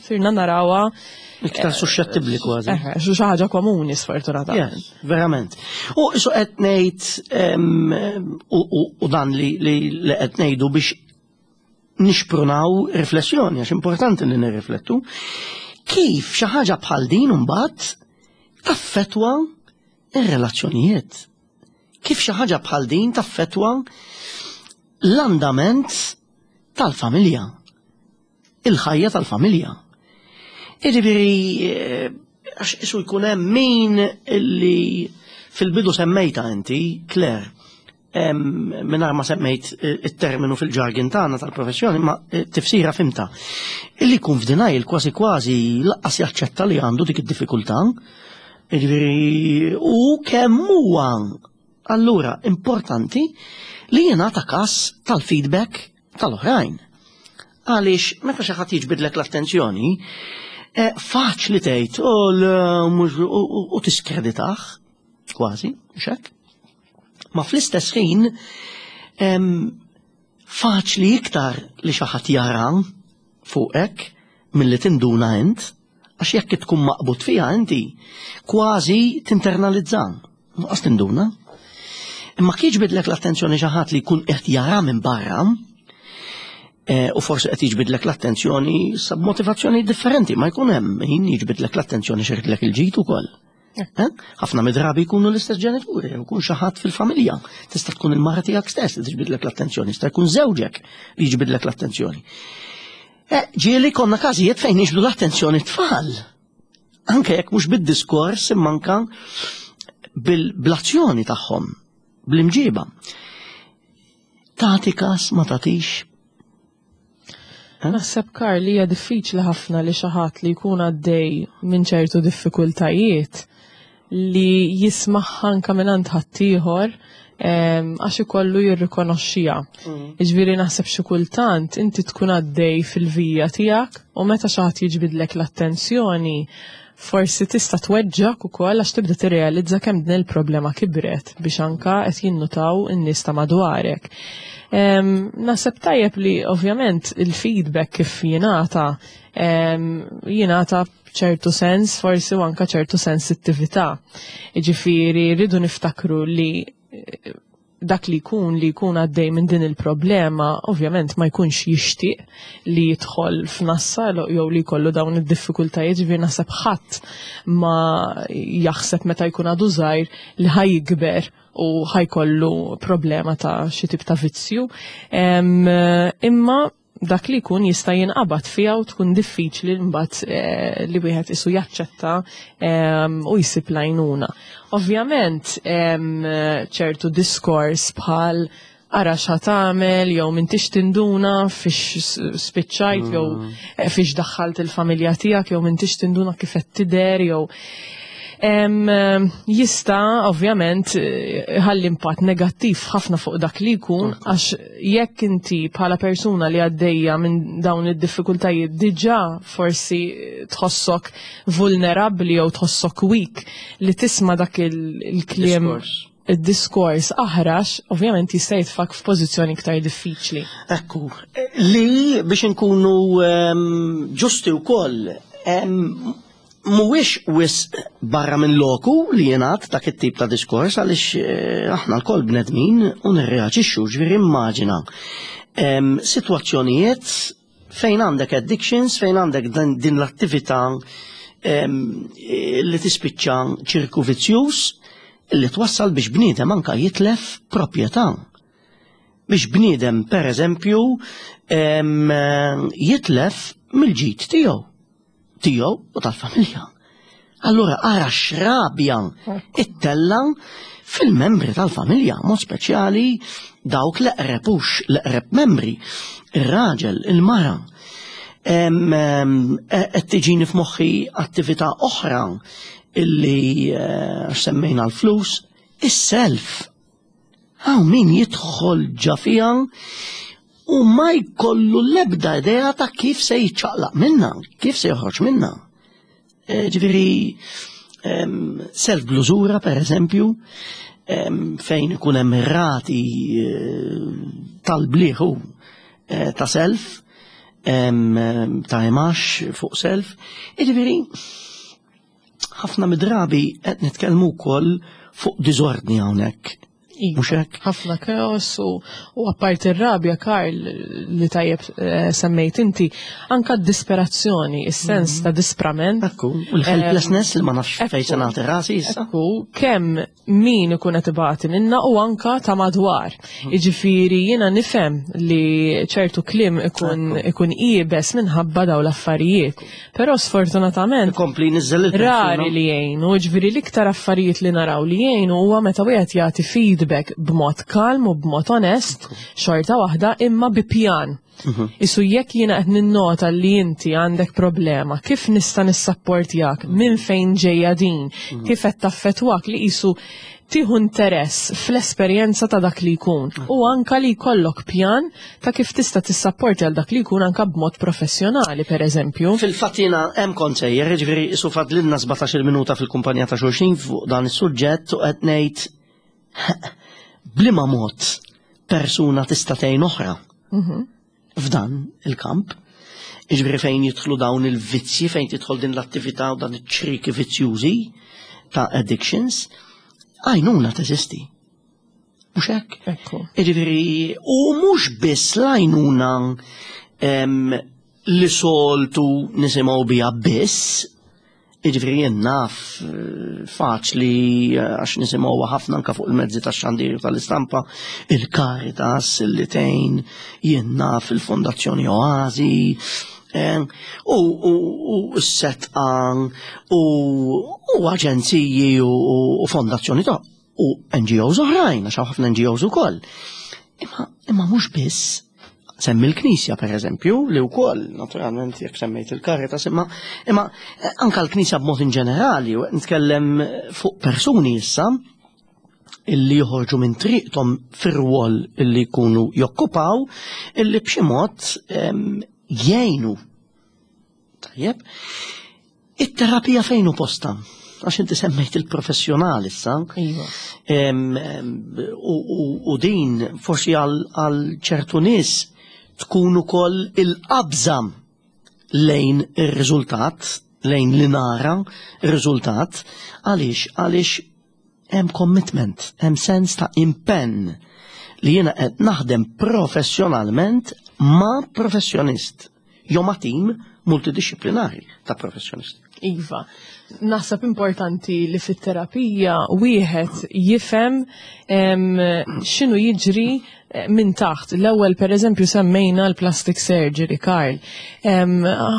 sirna narawha iktar suscettibbli kważi. Xi ħaġa komuni sfortunatament. Yes, verament. U isu qed ngħid, u dan li qed ngħidu biex nixprunaw riflessjoni, għax importanti li nirriflettu, kif xi ħaġa bħal din imbagħad taffetwa ir-relazzjonijiet. Kif xi ħaġa bħal din taffetwa l-andament tal-familja, il-ħajja tal-familja. Jiġifieri, għax isu jkun hemm min illi fil-bidu semmejta inti, Claire, mingħajr ma semmejt it-terminu fil-ġargin tagħna tal-professjoni, ma tifsira fimta. Illi jkun f'denial kważi kważi laqqas jaċċetta li għandu dik id-diffikultà. Jiġifieri, u kemm huwa allura importanti li jingħata każ tal-feedback. tal-oħrajn. Għaliex meta xi ħadd jiġbidlek l-attenzjoni, eh, faċli tgħid u tiskreditah kważi, mhux hekk? Ma fl-istess ħin faċli iktar li xi ħadd jara fuqek milli tinduna int, għax jekk tkun maqbud fiha inti, kważi tinternalizza, nuqqas tinduna. Imma kif jiġbidlek l-attenzjoni xi ħadd li jkun qed jara minn barra, eh, u forsi qed jiġbidlek l-attenzjoni sab motivazzjoni differenti, ma jkun hemm min jiġbidlek l-attenzjoni xeridlek il-ġid ukoll. Eh? Ħafna mid-drabi jkunu l-istess ġenituri, jkun xi ħadd fil-familja. Tista' tkun il-mara tiegħek stess li tiġbidlek l-attenzjoni, jista' jkun żewġek li jiġbidlek l-attenzjoni. Eh, ġieli konna każijiet fejn jiġbdu l-attenzjoni tfal. Anke jekk mhux bid-diskors imma anke bil-azzjoni tagħhom, bl-imġiba. Tagħti każ ma tagħtix. Naħseb Karl li hija diffiċli ħafna li xi ħadd li jkun għaddej minn ċertu diffikultajiet li jismagħha anke mingħand ħaddieħor għax ikollu jirrikonoxxiha. Jiġifieri naħseb xi kultant inti tkun għaddej fil-vija tiegħek u meta xi ħadd jiġbidlek l-attenzjoni forsi tista' tweġġak ukoll għax tibda tirrealizza kemm din il-problema kibret biex anka qed jinnutaw in-nies ta' madwarek. Naħseb tajjeb li ovvjament il-feedback kif jingħata jingħata ċertu sens forsi u anka ċertu sensittività. Jiġifieri rridu niftakru li dak li jkun li jkun għaddej minn din il-problema, ovvjament ma jkunx jixtieq li jidħol f'nassa jew li jkollu dawn id-diffikultajiet, ġifieri naħseb ħadd ma jaħseb meta jkun għadu żgħir li ħa jikber u ħajkollu problema ta' xi tip ta' vizzju. Imma dak li jkun jista' jinqabad fiha u tkun diffiċli mbagħad eh, li wieħed isu jaċċetta u jsib l-għajnuna. Ovvjament ċertu diskors bħal ara x'ħa tagħmel jew m'intix tinduna fiex spiċċajt jew eh, fiex daħħalt il-familja tiegħek jew m'intix tinduna kif qed tidher jew jista' ovvjament ħalli impatt negattiv ħafna fuq dak li jkun għax jekk inti bħala persuna li għaddejja minn dawn id-diffikultajiet diġà forsi tħossok vulnerabbli jew tħossok weak li tisma' dak il-kliem id-diskors aħrax, ovvjament jista' jitfak f'pożizzjoni iktar diffiċli. Ekku, li biex inkunu ġusti wkoll mhuwiex wisq barra minn loku li jingħad dak it-tip ta' diskors għaliex eh, aħna lkoll bnedmin u nirreaġixxu ġifieri immaġina sitwazzjonijiet fejn għandek addictions, fejn għandek din l-attività li tispiċċa ċirku vizzjuż li twassal biex bniedem anka jitlef proprjetà. Biex bniedem per eżempju jitlef mill-ġid tiegħu. Tiegħu u tal-familja. Allura ara x'rabja ittella fil-membri tal-familja, mod speċjali dawk l-eqreb hux l-eqreb membri, ir-raġel, il-mara. E, qed tiġini f'moħħi attività oħra illi eh, għax semmejna l-flus, is-self. Hawn min jidħol ġa fiha u ma jkollu l-ebda idea ta' kif se jiċċaqlaq minna, kif se joħroġ minna. Eh, ġifieri self blużura per eżempju, fejn ikun hemm rati eh, tal-bliħu eh, ta' self, ta' imax fuq self. Ġifieri ħafna midrabi qed nitkellmu wkoll fuq diżordni hawnhekk. Iva, Mhux hekk? Ħafna chaos u, u apparti r-rabja, Karl, li tajjeb eh, semmejt inti, anka d-disperazzjoni, is-sens ta' disprament. Ekku, u l-helplessness li ma nafx fejn se nagħti rasi issa. Ekku, kemm min ikun qed ibati minna u anka ta' madwar. Jiġifieri jiena nifhem li ċertu kliem ikun ikun iebes minħabba dawn l-affarijiet. Però sfortunatament Ikompli jniżżel il-persuna. rari li jgħinu, ġifieri l-iktar affarijiet li naraw li jgħinu huwa meta wieħed jagħti feedback. feedback b'mod kalm u b'mod onest, xorta waħda imma bi pjan. Isu jekk jiena qed ninnota li inti għandek problema, kif nista' nissapportjak, minn fejn ġejja din, kif qed taffettwak li qisu tieħu interess fl-esperjenza ta' dak li jkun u anka li jkollok pjan ta' kif tista' tissapporti għal dak li jkun anka b'mod professjonali, per eżempju. Fil-fatt jiena hemm kont sejjer, jiġifieri isu fadlilna 17-il minuta fil-kumpanija ta' xulxin fuq dan is-suġġett u qed ngħid b'liema mod persuna tista' tgħin oħra f'dan il-kamp. Jiġifieri fejn jidħlu dawn il-vizzji, fejn tidħol din l-attività u dan iċ-ċriki vizzjużi ta' addictions, għajnuna teżisti. Mhux hekk? Ekku. Jiġifieri, u mhux biss l-għajnuna li soltu nisimgħu biha biss, jiġifieri jien naf faċli għax nisimgħuha ħafna anke fuq il-mezzi tax-xandir u tal-istampa, il-Caritas li tgħin, jien naf il-Fondazzjoni Oasi, u s-setqa u aġenziji u fondazzjoni ta' u NGOs oħrajn, għax hawn ħafna NGOs ukoll. Imma mhux biss, semmi l-Knisja per eżempju, li wkoll, naturalment, jekk semmejt il-Caritas, imma anka l-Knisja b'mod in ġenerali, u qed nitkellem fuq persuni issa, illi joħorġu minn triqthom fir-rwol illi jkunu jokkupaw, illi b'xi mod jgħinu. Tajjeb. It-terapija fejn hu posta? Għax inti semmejt il-professjonal issa. U din forsi għal ċertu nies tkun ukoll il-qabża lejn ir-riżultat, lejn li nara ir-riżultat. Għaliex? Għaliex hemm commitment, hemm sens ta' impenn li jiena qed naħdem professjonalment ma' professjonist jew ma' tim multidisciplinari ta' professjonisti. Iva, naħseb importanti li fit-terapija wieħed jifhem x'inhu jiġri minn taħt. L-ewwel per eżempju semmejna l-plastic surgery, Karl.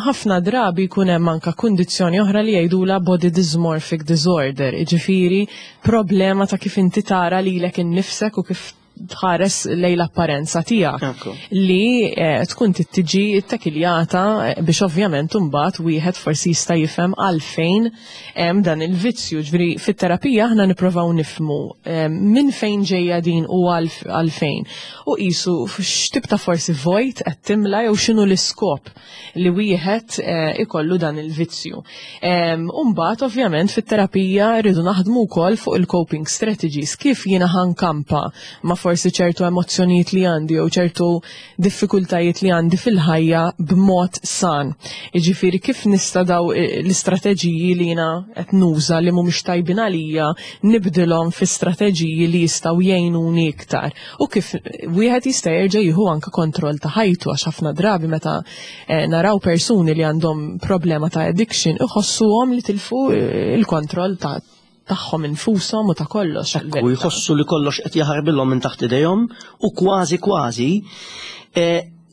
Ħafna drabi jkun hemm anka kundizzjoni oħra li jgħidula body dysmorphic disorder, jiġifieri problema ta' kif inti tara lilek innifsek u kif tħares lejn l-apparenza tiegħek. Li tkun tiġi ttekiljata biex ovvjament imbagħad wieħed forsi jista' jifhem għalfejn hemm dan il-vizzju. Ġifieri fit-terapija aħna nippruvaw nifhmu minn fejn ġejja din u għalfejn. U qisu x'tip ta' forsi vojt qed timla jew x'inhu l-iskop li wieħed ikollu dan il-vizzju. U mbagħad ovvjament fit-terapija rridu naħdmu wkoll fuq il-coping strategies, kif jiena ħankampa ma' forsi ċertu emozzjonijiet li għandi jew ċertu diffikultajiet li għandi fil-ħajja b'mod san. Jiġifieri kif nista' daw l-istrateġiji li jiena qed nuża li mhumiex tajbin għalija nibdilhom fi strateġiji li jistgħu jgħinuni iktar. U kif wieħed jista' jerġa' jieħu anke kontroll ta' ħajtu, għax ħafna drabi meta naraw persuni li għandhom problema ta' addiction iħossuhom li tilfu il-kontroll ta' tagħhom infushom u ta' kollox. Ekku, jħossu li kollox qed jaħarbilhom minn taħt idejhom u kważi kważi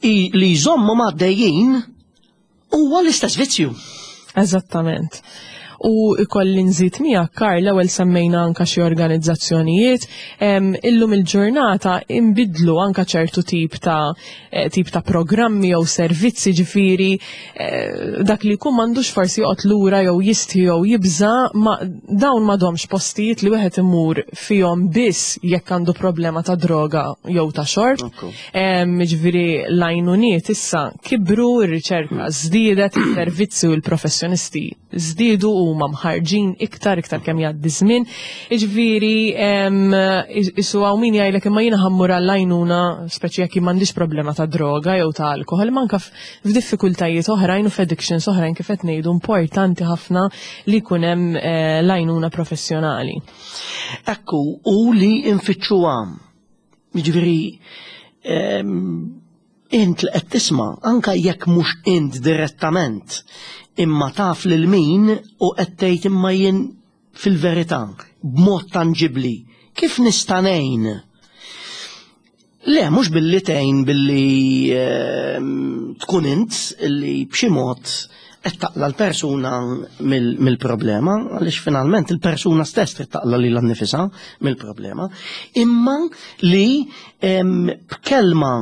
li jżommu għaddejjin huwa l-istess vizzju. Eżattament. U ikolli nżid miegħek, Karl, l-ewwel semmejna anka xi organizzazzjonijiet, illum il-ġurnata imbidlu anka ċertu tip ta' programmi jew servizzi, ġifieri dak li jkun m'għandux forsi joqgħod lura jew jistħi jew jibża, ma dawn m'għadhomx postijiet li wieħed imur fihom biss jekk għandu problema ta' droga jew ta' xorb. Ġifieri l-għajnuniet issa kibru, ir-riċerka żdiedet, is-servizzi u l-professjonisti żdiedu u huma mħarġin iktar kemm jgħaddi żmien. Jiġifieri, isu hawn min jgħidlek imma jiena ħammur għall-għajnuna, speċi jekk m'għandix problema ta' droga jew ta' alkohol, ma anke f'diffikultajiet oħrajn u f'addictions oħrajn kif qed ngħidu importanti ħafna li jkun hemm l-għajnuna professjonali. Ekku, u li nfittxuha. Jiġifieri, int li qed tisma', anke jekk mhux int direttament, imma taf lil min u qed tgħid imma jien fil-verità, b'mod tanġibli, kif nista' ngħin? Le, mhux billi tgħin billi tkun int li b'xi mod qed taqla l-persuna mill-problema, għaliex finalment il-persuna stess trid taqla lilha nnifisha mill-problema, imma li b'kelma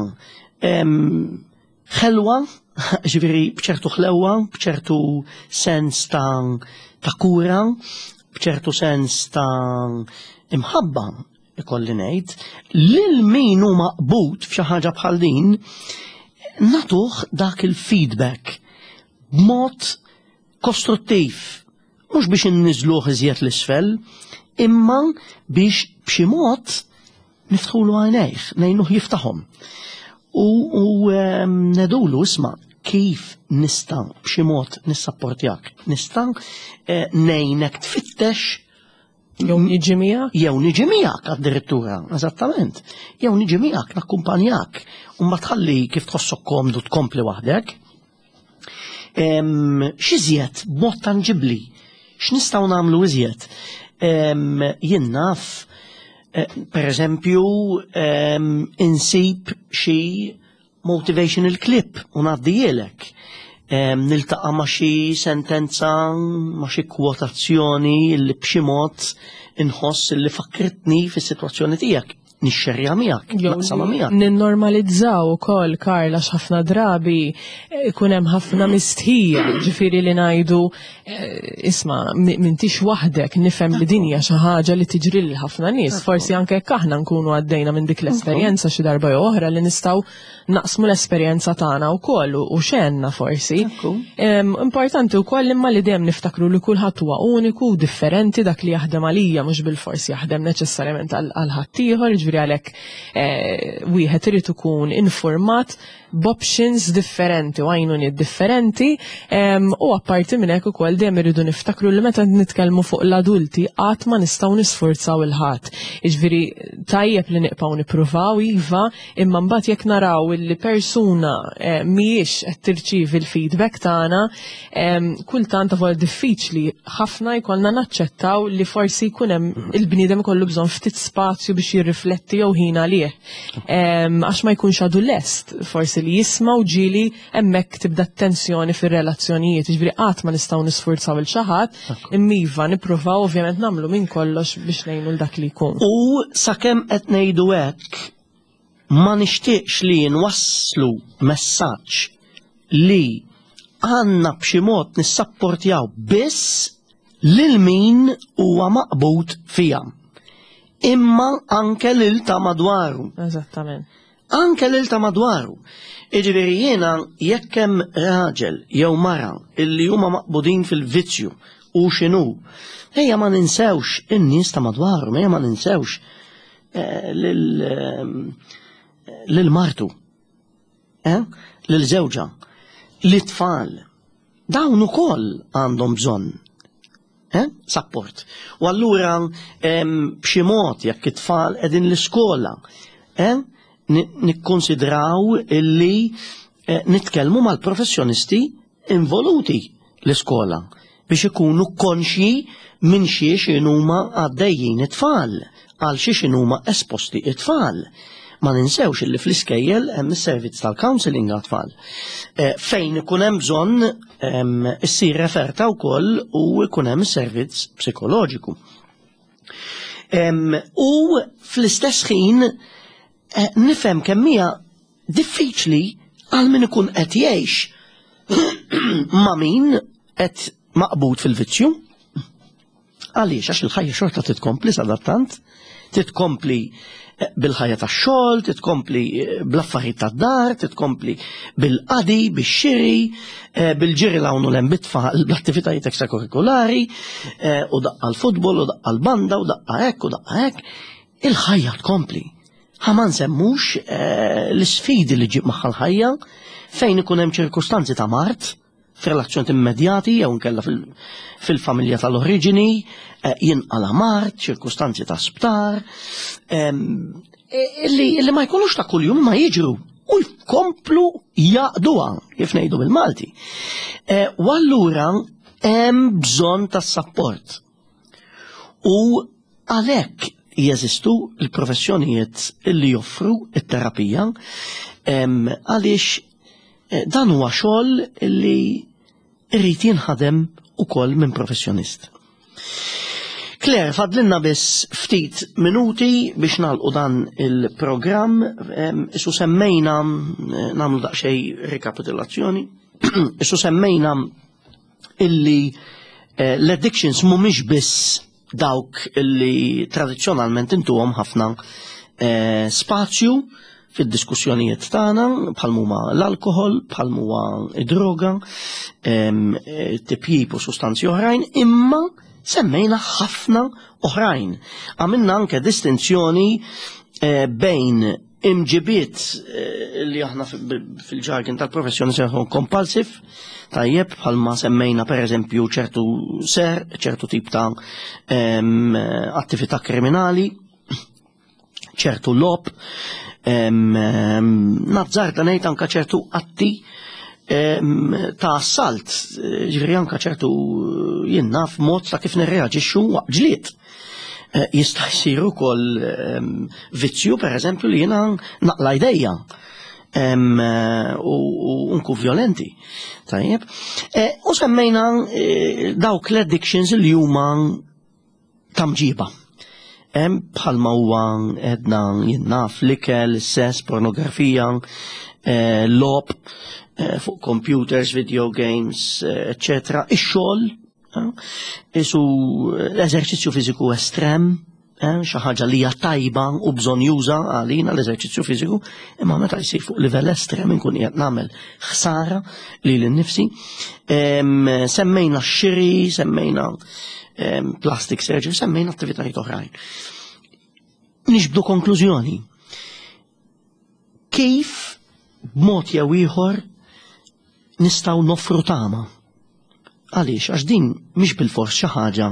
ħelwa, ġifieri b'ċertu ħlewwa, b'ċertu sens ta', ta kura, b'ċertu sens ta' imħabba, ikolli ngħid, lil min hu maqbud f'xi ħaġa bħal din, natuh dak il-feedback b'mod kostruttiv, mhux biex inniżluh iżjed l-isfel, imma biex b'xi mod niftħulu għajnejh, ngħinuh jiftaħhom. U, u ehm, nedulu isma' kif nista' b'xi mod nissapportjak, nista' eh, ngħinek tfittex Jew niġi miegħek? Jew niġi miegħek addirittura, eżattament. Jew niġi miegħek nakkumpanjak u ma tħalli kif tħossok komdu tkompli waħdek. X'iżjed b'mod tanġibbli, x'nistgħu nagħmlu iżjed? Jien naf, eh, per eżempju, insib xi motivational clip u ngħaddihielek. Niltaqa' ma' xi sentenza, ma' xi kwotazzjoni li b'xi mod inħoss li fakkritni fis-sitwazzjoni tiegħek nixxerja miegħek, naqsama miegħek. Ninnormalizzaw ukoll Karl għax ħafna drabi eh, ikun hemm ħafna mistħija, ġifieri li ngħidu eh, isma' m'intix waħdek nifhem li din hija xi ħaġa li tiġri lil ħafna nies, forsi anke jekk aħna nkunu għaddejna minn dik l-esperjenza xi darba jew oħra li nistgħu naqsmu l-esperjenza tagħna wkoll u xenna forsi. Importanti wkoll imma li dejjem niftakru li kulħadd huwa uniku u differenti dak li jaħdem għalija mhux bilfors jaħdem neċessarjament għal ħaddieħor, jiġifieri għalhekk eh, wieħed irid ikun informat b'options differenti u għajnuniet differenti u apparti minn hekk ukoll dejjem irridu niftakru li meta nitkellmu fuq l-adulti qatt ma nistgħu nisfurzaw il-ħadd. Jiġifieri tajjeb li nibqgħu nippruvaw iva, imma mbagħad jekk naraw li persuna eh, mhijiex qed tirċievi l-feedback tagħna, kultant avolja diffiċli ħafna jkollna naċċettaw li forsi jkun hemm il-bniedem ikollu bżonn ftit spazju biex jirrifletti jew ħin għalih. Għax ma jkunx għadu lest forsi li jisma' u ġieli hemmhekk tibda t-tensjoni fir-relazzjonijiet, jiġifieri qatt ma nistgħu nisfurzaw il xi ħadd, imma iva nippruvaw ovvjament nagħmlu minn kollox biex ngħinu l dak li jkun. U sakemm qed ngħidu hekk ma nixtieqx li nwasslu messaġġ li għandna b'xi mod nissapportjaw biss lil min huwa maqbud fiha. Imma anke lil ta' madwaru. Eżattament. Anke lil ta' madwaru. Iġifieri jiena jekk hemm raġel jew mara illi huma maqbudin fil-vizzju u x'inhu, ejja ma ninsewx in-nies ta' madwarhom, ejja ma ninsewx eh, lil eh, lil martu, eh, lil żewġha, lit-tfal. Dawn ukoll għandhom bżonn eh, support. U allura b'xi mod jekk it-tfal qegħdin l-iskola, eh, nikkonsidraw illi eh, nitkellmu mal-professjonisti involuti l-iskola biex ikunu konxji minn xiex inhuma għaddejjin it-tfal, għal xiex inhuma esposti it-tfal. Ma ninsewx illi fl-iskejjel hemm is-servizz tal-counselling għat-tfal. Eh, fejn ikun hemm bżonn ehm, issir referta wkoll u jkun hemm is-servizz psikoloġiku. Ehm, u fl-istess ħin eh, nifhem kemm hija diffiċli għal min ikun qed jgħix ma' min qed maqbud fil-vizzju. Għaliex għax il-ħajja xorta titkompli sadattant, titkompli eh, bil-ħajja tax-xogħol, titkompli eh, bl-affarijiet tad-dar, titkompli bil-qadi, bix-xiri, eh, bil-ġiri l hawn u l-hemm bit-tfal, bl-attivitajiet ekstrakurrikulari, u daqqa l-futbol, u daqqa l-banda, u daqqa hekk, u daqqa hekk. Il-ħajja tkompli. Ħa ma nsemmux l-isfidi li ġib magħha l-ħajja fejn ikun hemm ċirkustanzi ta' mard f'relazzjoni immedjati jew inkella fil-familja tal-oriġini, eh, jinqala mard, ċirkustanzi ta' sptar, ehm, e, illi ma jkunux ta' kuljum ma jiġru u jkomplu jaqduha, kif ngħidu bil-Malti. Eh, u allura hemm bżonn ta' sapport. U għalhekk jeżistu l-professjonijiet illi joffru it-terapija għaliex eh, dan huwa xogħol li Irrid jinħadem ukoll minn professjonist. Claire, fadlinna biss ftit minuti biex nagħlqu dan il-programm, isu semmejna eh, nagħmlu daqsxejn rekapitulazzjoni, isu semmejna illi eh, l-addictions mhumiex biss dawk illi tradizzjonalment intuhom ħafna eh, spazju fid-diskussjonijiet tagħna bħal huma l-alkoħol, bħal huwa id-droga, eh, tipjip u sustanzi oħrajn, imma semmejna ħafna oħrajn. Għamilna anke distinzjoni eh, bejn imġibiet eh, li aħna fil-ġargin tal-professjoni seħu compulsive, tajjeb bħalma semmejna per eżempju ċertu ser, ċertu tip ta' attività kriminali, ċertu lob, nazzarda ngħid anka ċertu atti ta' assalt, ġifieri anka ċertu jien naf mod ta' kif nirreaġixxu waqt ġlied. Eh, jista' jsir ukoll vizzju pereżempju li jiena naqla' jdejja eh, u nkun violenti. Tajjeb. Eh, u semmejna dawk l-addictions li huma ta' mġiba. Bħalma huwa edna jinnaf l-ikel, sess, pornografija, eh, lob, eh, fuq computers, video games, eccetera, ix-xogħol, isu l-eżerċizzju fiżiku estrem, xi ħaġa li hija tajba u bżonn juża għalina l-eżerċizzju fiżiku, imma meta jsir fuq livell estrem inkun qiegħed nagħmel ħsara lili nnifsi. Semmejna x-xiri, semmejna plastic surgery, semmejna attivitajiet oħrajn. Nixbdu konklużjoni. Kif b'mod jew ieħor nistgħu noffru tama? Għaliex, għax din mhix bilfors xi ħaġa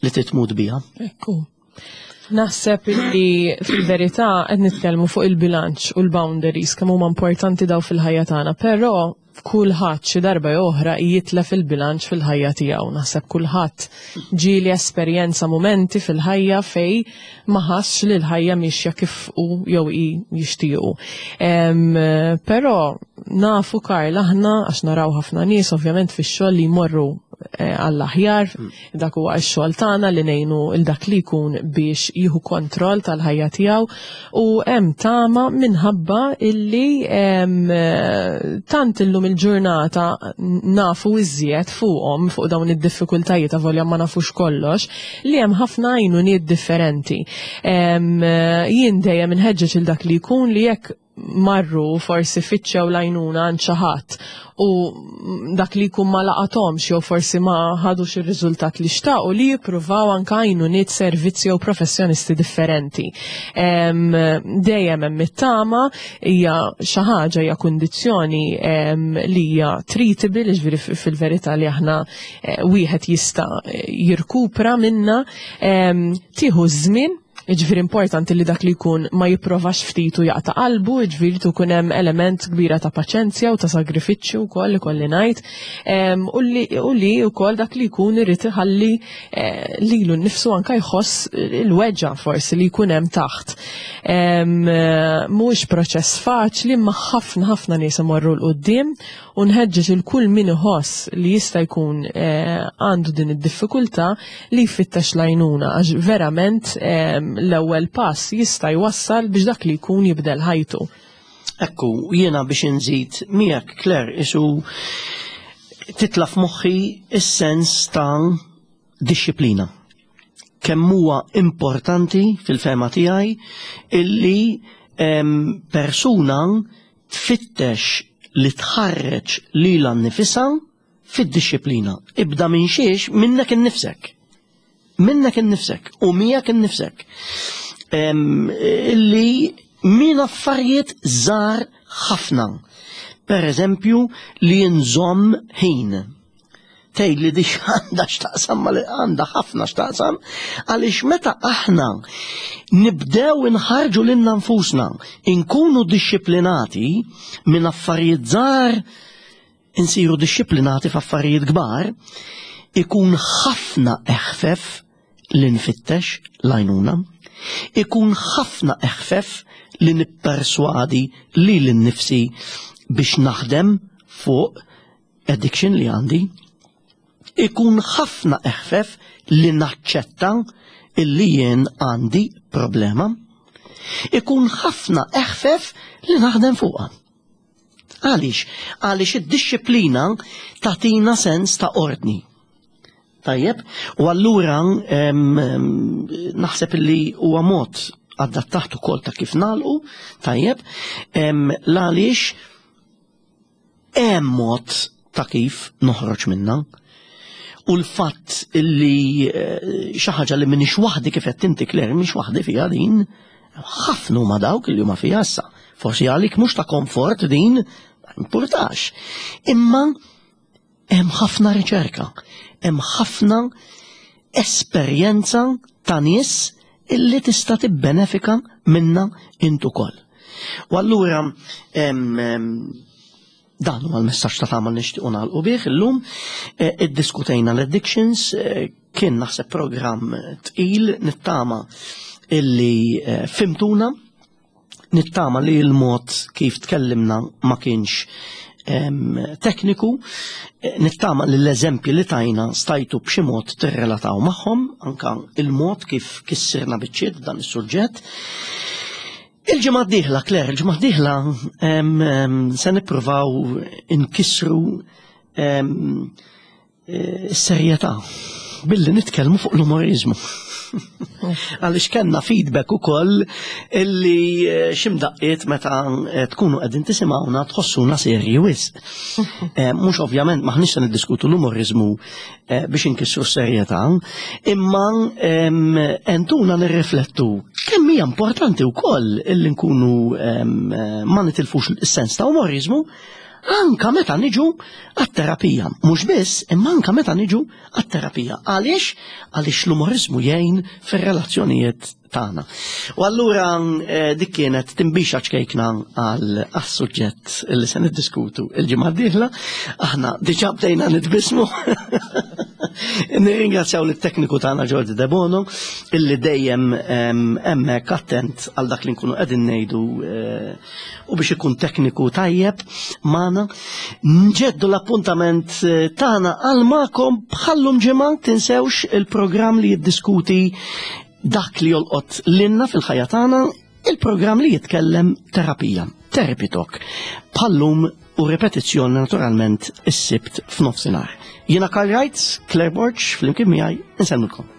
li titmut biha. Ekku. Naħseb li fil-verità qed nitkellmu fuq il-bilanċ u l-boundaries kemm huma importanti daw fil-ħajja tagħna, però kulħadd xi darba jew oħra jitlef il-bilanċ fil-ħajja tiegħu. Naħseb kulħadd ġieli esperjenza mumenti fil-ħajja fej ma ħassx li l-ħajja mixja kif hu jew hi jixtiequ. Però nafu Karl aħna għax naraw ħafna nies ovvjament fix-xogħol li jmorru eh, għall-aħjar, dak huwa x-xogħol tagħna li ngħinu il dak li jkun biex jieħu kontroll tal-ħajja tiegħu u hemm tama minħabba illi tant illum il-ġurnata nafu iżjed fuqhom fuq dawn id-diffikultajiet avolja ma nafux kollox li hemm ħafna għajnuniet differenti. Jien dejjem inħeġġeġ il dak li jkun li jekk marru forsi fittxew l-għajnuna għand xi ħadd u dak li jkun ma laqathomx jew forsi ma ħadux ir-riżultat li xtaqu li jippruvaw anke għajnuniet servizzi jew professjonisti differenti. Dejjem hemm it-tama hija xi ħaġa hija kundizzjoni li hija treatable, jiġifieri fil-verità li aħna eh, wieħed jista' jirkupra minna tieħu żmien. Jiġifieri importanti li dak li jkun ma jipprovax ftit u jaqta' qalbu, jiġifieri tkun hemm element kbira ta' paċenzja u ta' sagrifiċċju wkoll ikolli ngħid, u li wkoll dak li jkun irid iħalli eh, lilu nnifsu anke jħoss il-weġgħa forsi li jkun hemm taħt. Mhuwiex proċess faċli imma ħafna ħafna nies imorru 'l quddiem u nħeġġeġ il kull min iħoss li jista' jkun eh, għandu din id-diffikultà li jfittex l-għajnuna għax verament eh, l-ewwel pass jista' jwassal biex dak li jkun jibdel ħajtu. Ekku, jiena biex inżid miegħek Claire isu titla' f'moħħi is-sens ta' dixxiplina. Kemm huwa importanti fil-fehma tiegħi illi persuna tfittex li tħarreġ lilha nnifisha fid-dixxiplina. Ibda minn xiex minnek innifsek. Minnek innifsek u miegħek innifsek. Illi minn affarijiet żgħar ħafna. Per eżempju li nżomm ħin. Tgħid li dik għandha x'taqsam ma għandha ħafna x'taqsam għaliex meta aħna nibdew inħarġu lilna nfusna, inkunu dixxiplinati minn affarijiet żgħar insiru dixxiplinati f'affarijiet kbar, ikun ħafna eħfef li nfittex l-għajnuna, ikun ħafna eħfef li nipperswadi lili nnifsi biex naħdem fuq addiction li għandi. Ikun ħafna eħfef li naċċetta illi jien għandi problema. Ikun ħafna eħfef li naħdem fuqha. Għaliex? Għaliex id-dixxiplina tagħtina sens ta' ordni. Tajjeb, u allura naħseb li huwa mod adattat ukoll ta' kif nagħlqu, tajjeb, l-għaliex hemm mod ta' kif noħroġ minna. U l-fatt li eh, xi ħaġa li minix waħdi kif qed inti Claire, minix waħdi fiha din, ħafna huma dawk li huma fiha issa. Forsi għalik mhux ta' komfort din, ma importax. Imma hemm ħafna riċerka, hemm ħafna esperjenza ta' nies illi tista' tibbenefika minna int ukoll. U allura dan huwa l-messaġġ ta' tagħmel nixtiequ nagħlqu bih illum. E, iddiskutejna l-addictions, e, kien naħseb programm tqil nittama illi e, fimtuna Nittama li l-mod kif tkellimna ma kienx tekniku, eh, nittama li l-eżempji li tajna stajtu b'xi mod tirrelataw magħhom, anka il-mod kif kissirna biċċiet dan is-suġġett. Il-ġimgħa d-dieħla, Claire, il-ġimgħa d-dieħla se nippruvaw inkissru Is-serjetà billi nitkellmu fuq l-umorizmu. Għaliex kellna feedback ukoll illi eh, ximdaqqiet meta eh, tkunu qegħdin tisimgħuna tħossuna serji wisq. Eh, mhux ovvjament maħniex se niddiskutu l-umorizmu biex inkissru s-serjetà, imma entuna nirriflettu kemm hija importanti wkoll illi nkunu ma nitilfux is-sens ta' umorizmu Anka meta niġu għat-terapija. Mhux biss, imma anka meta niġu għat-terapija. Għaliex? Għaliex l-umorizmu jgħin fir-relazzjonijiet tagħna. U allura eh, dik kienet timbixa ċkejkna għal suġġett li se niddiskutu il-ġimgħa d-dieħla. Aħna diġà bdejna nitbismu. Nirringrazzjaw lit-tekniku tagħna Ġordi Debono illi dejjem hemmhekk attent għal dak li nkunu qegħdin ngħidu eh, u biex ikun tekniku tajjeb magħna. Nġeddu l-appuntament eh, tagħna għal magħkom bħallum ġimgħa tinsewx il-programm li jiddiskuti dak li jolqot lilna fil-ħajja tagħna, il-programm li jitkellem terapija, Therapy Talk. Bħallum u ripetizzjoni naturalment is-Sibt f'nofsinhar. Jiena Karl Reitz, Claire Borg, flimkien miegħi, insellmilkom.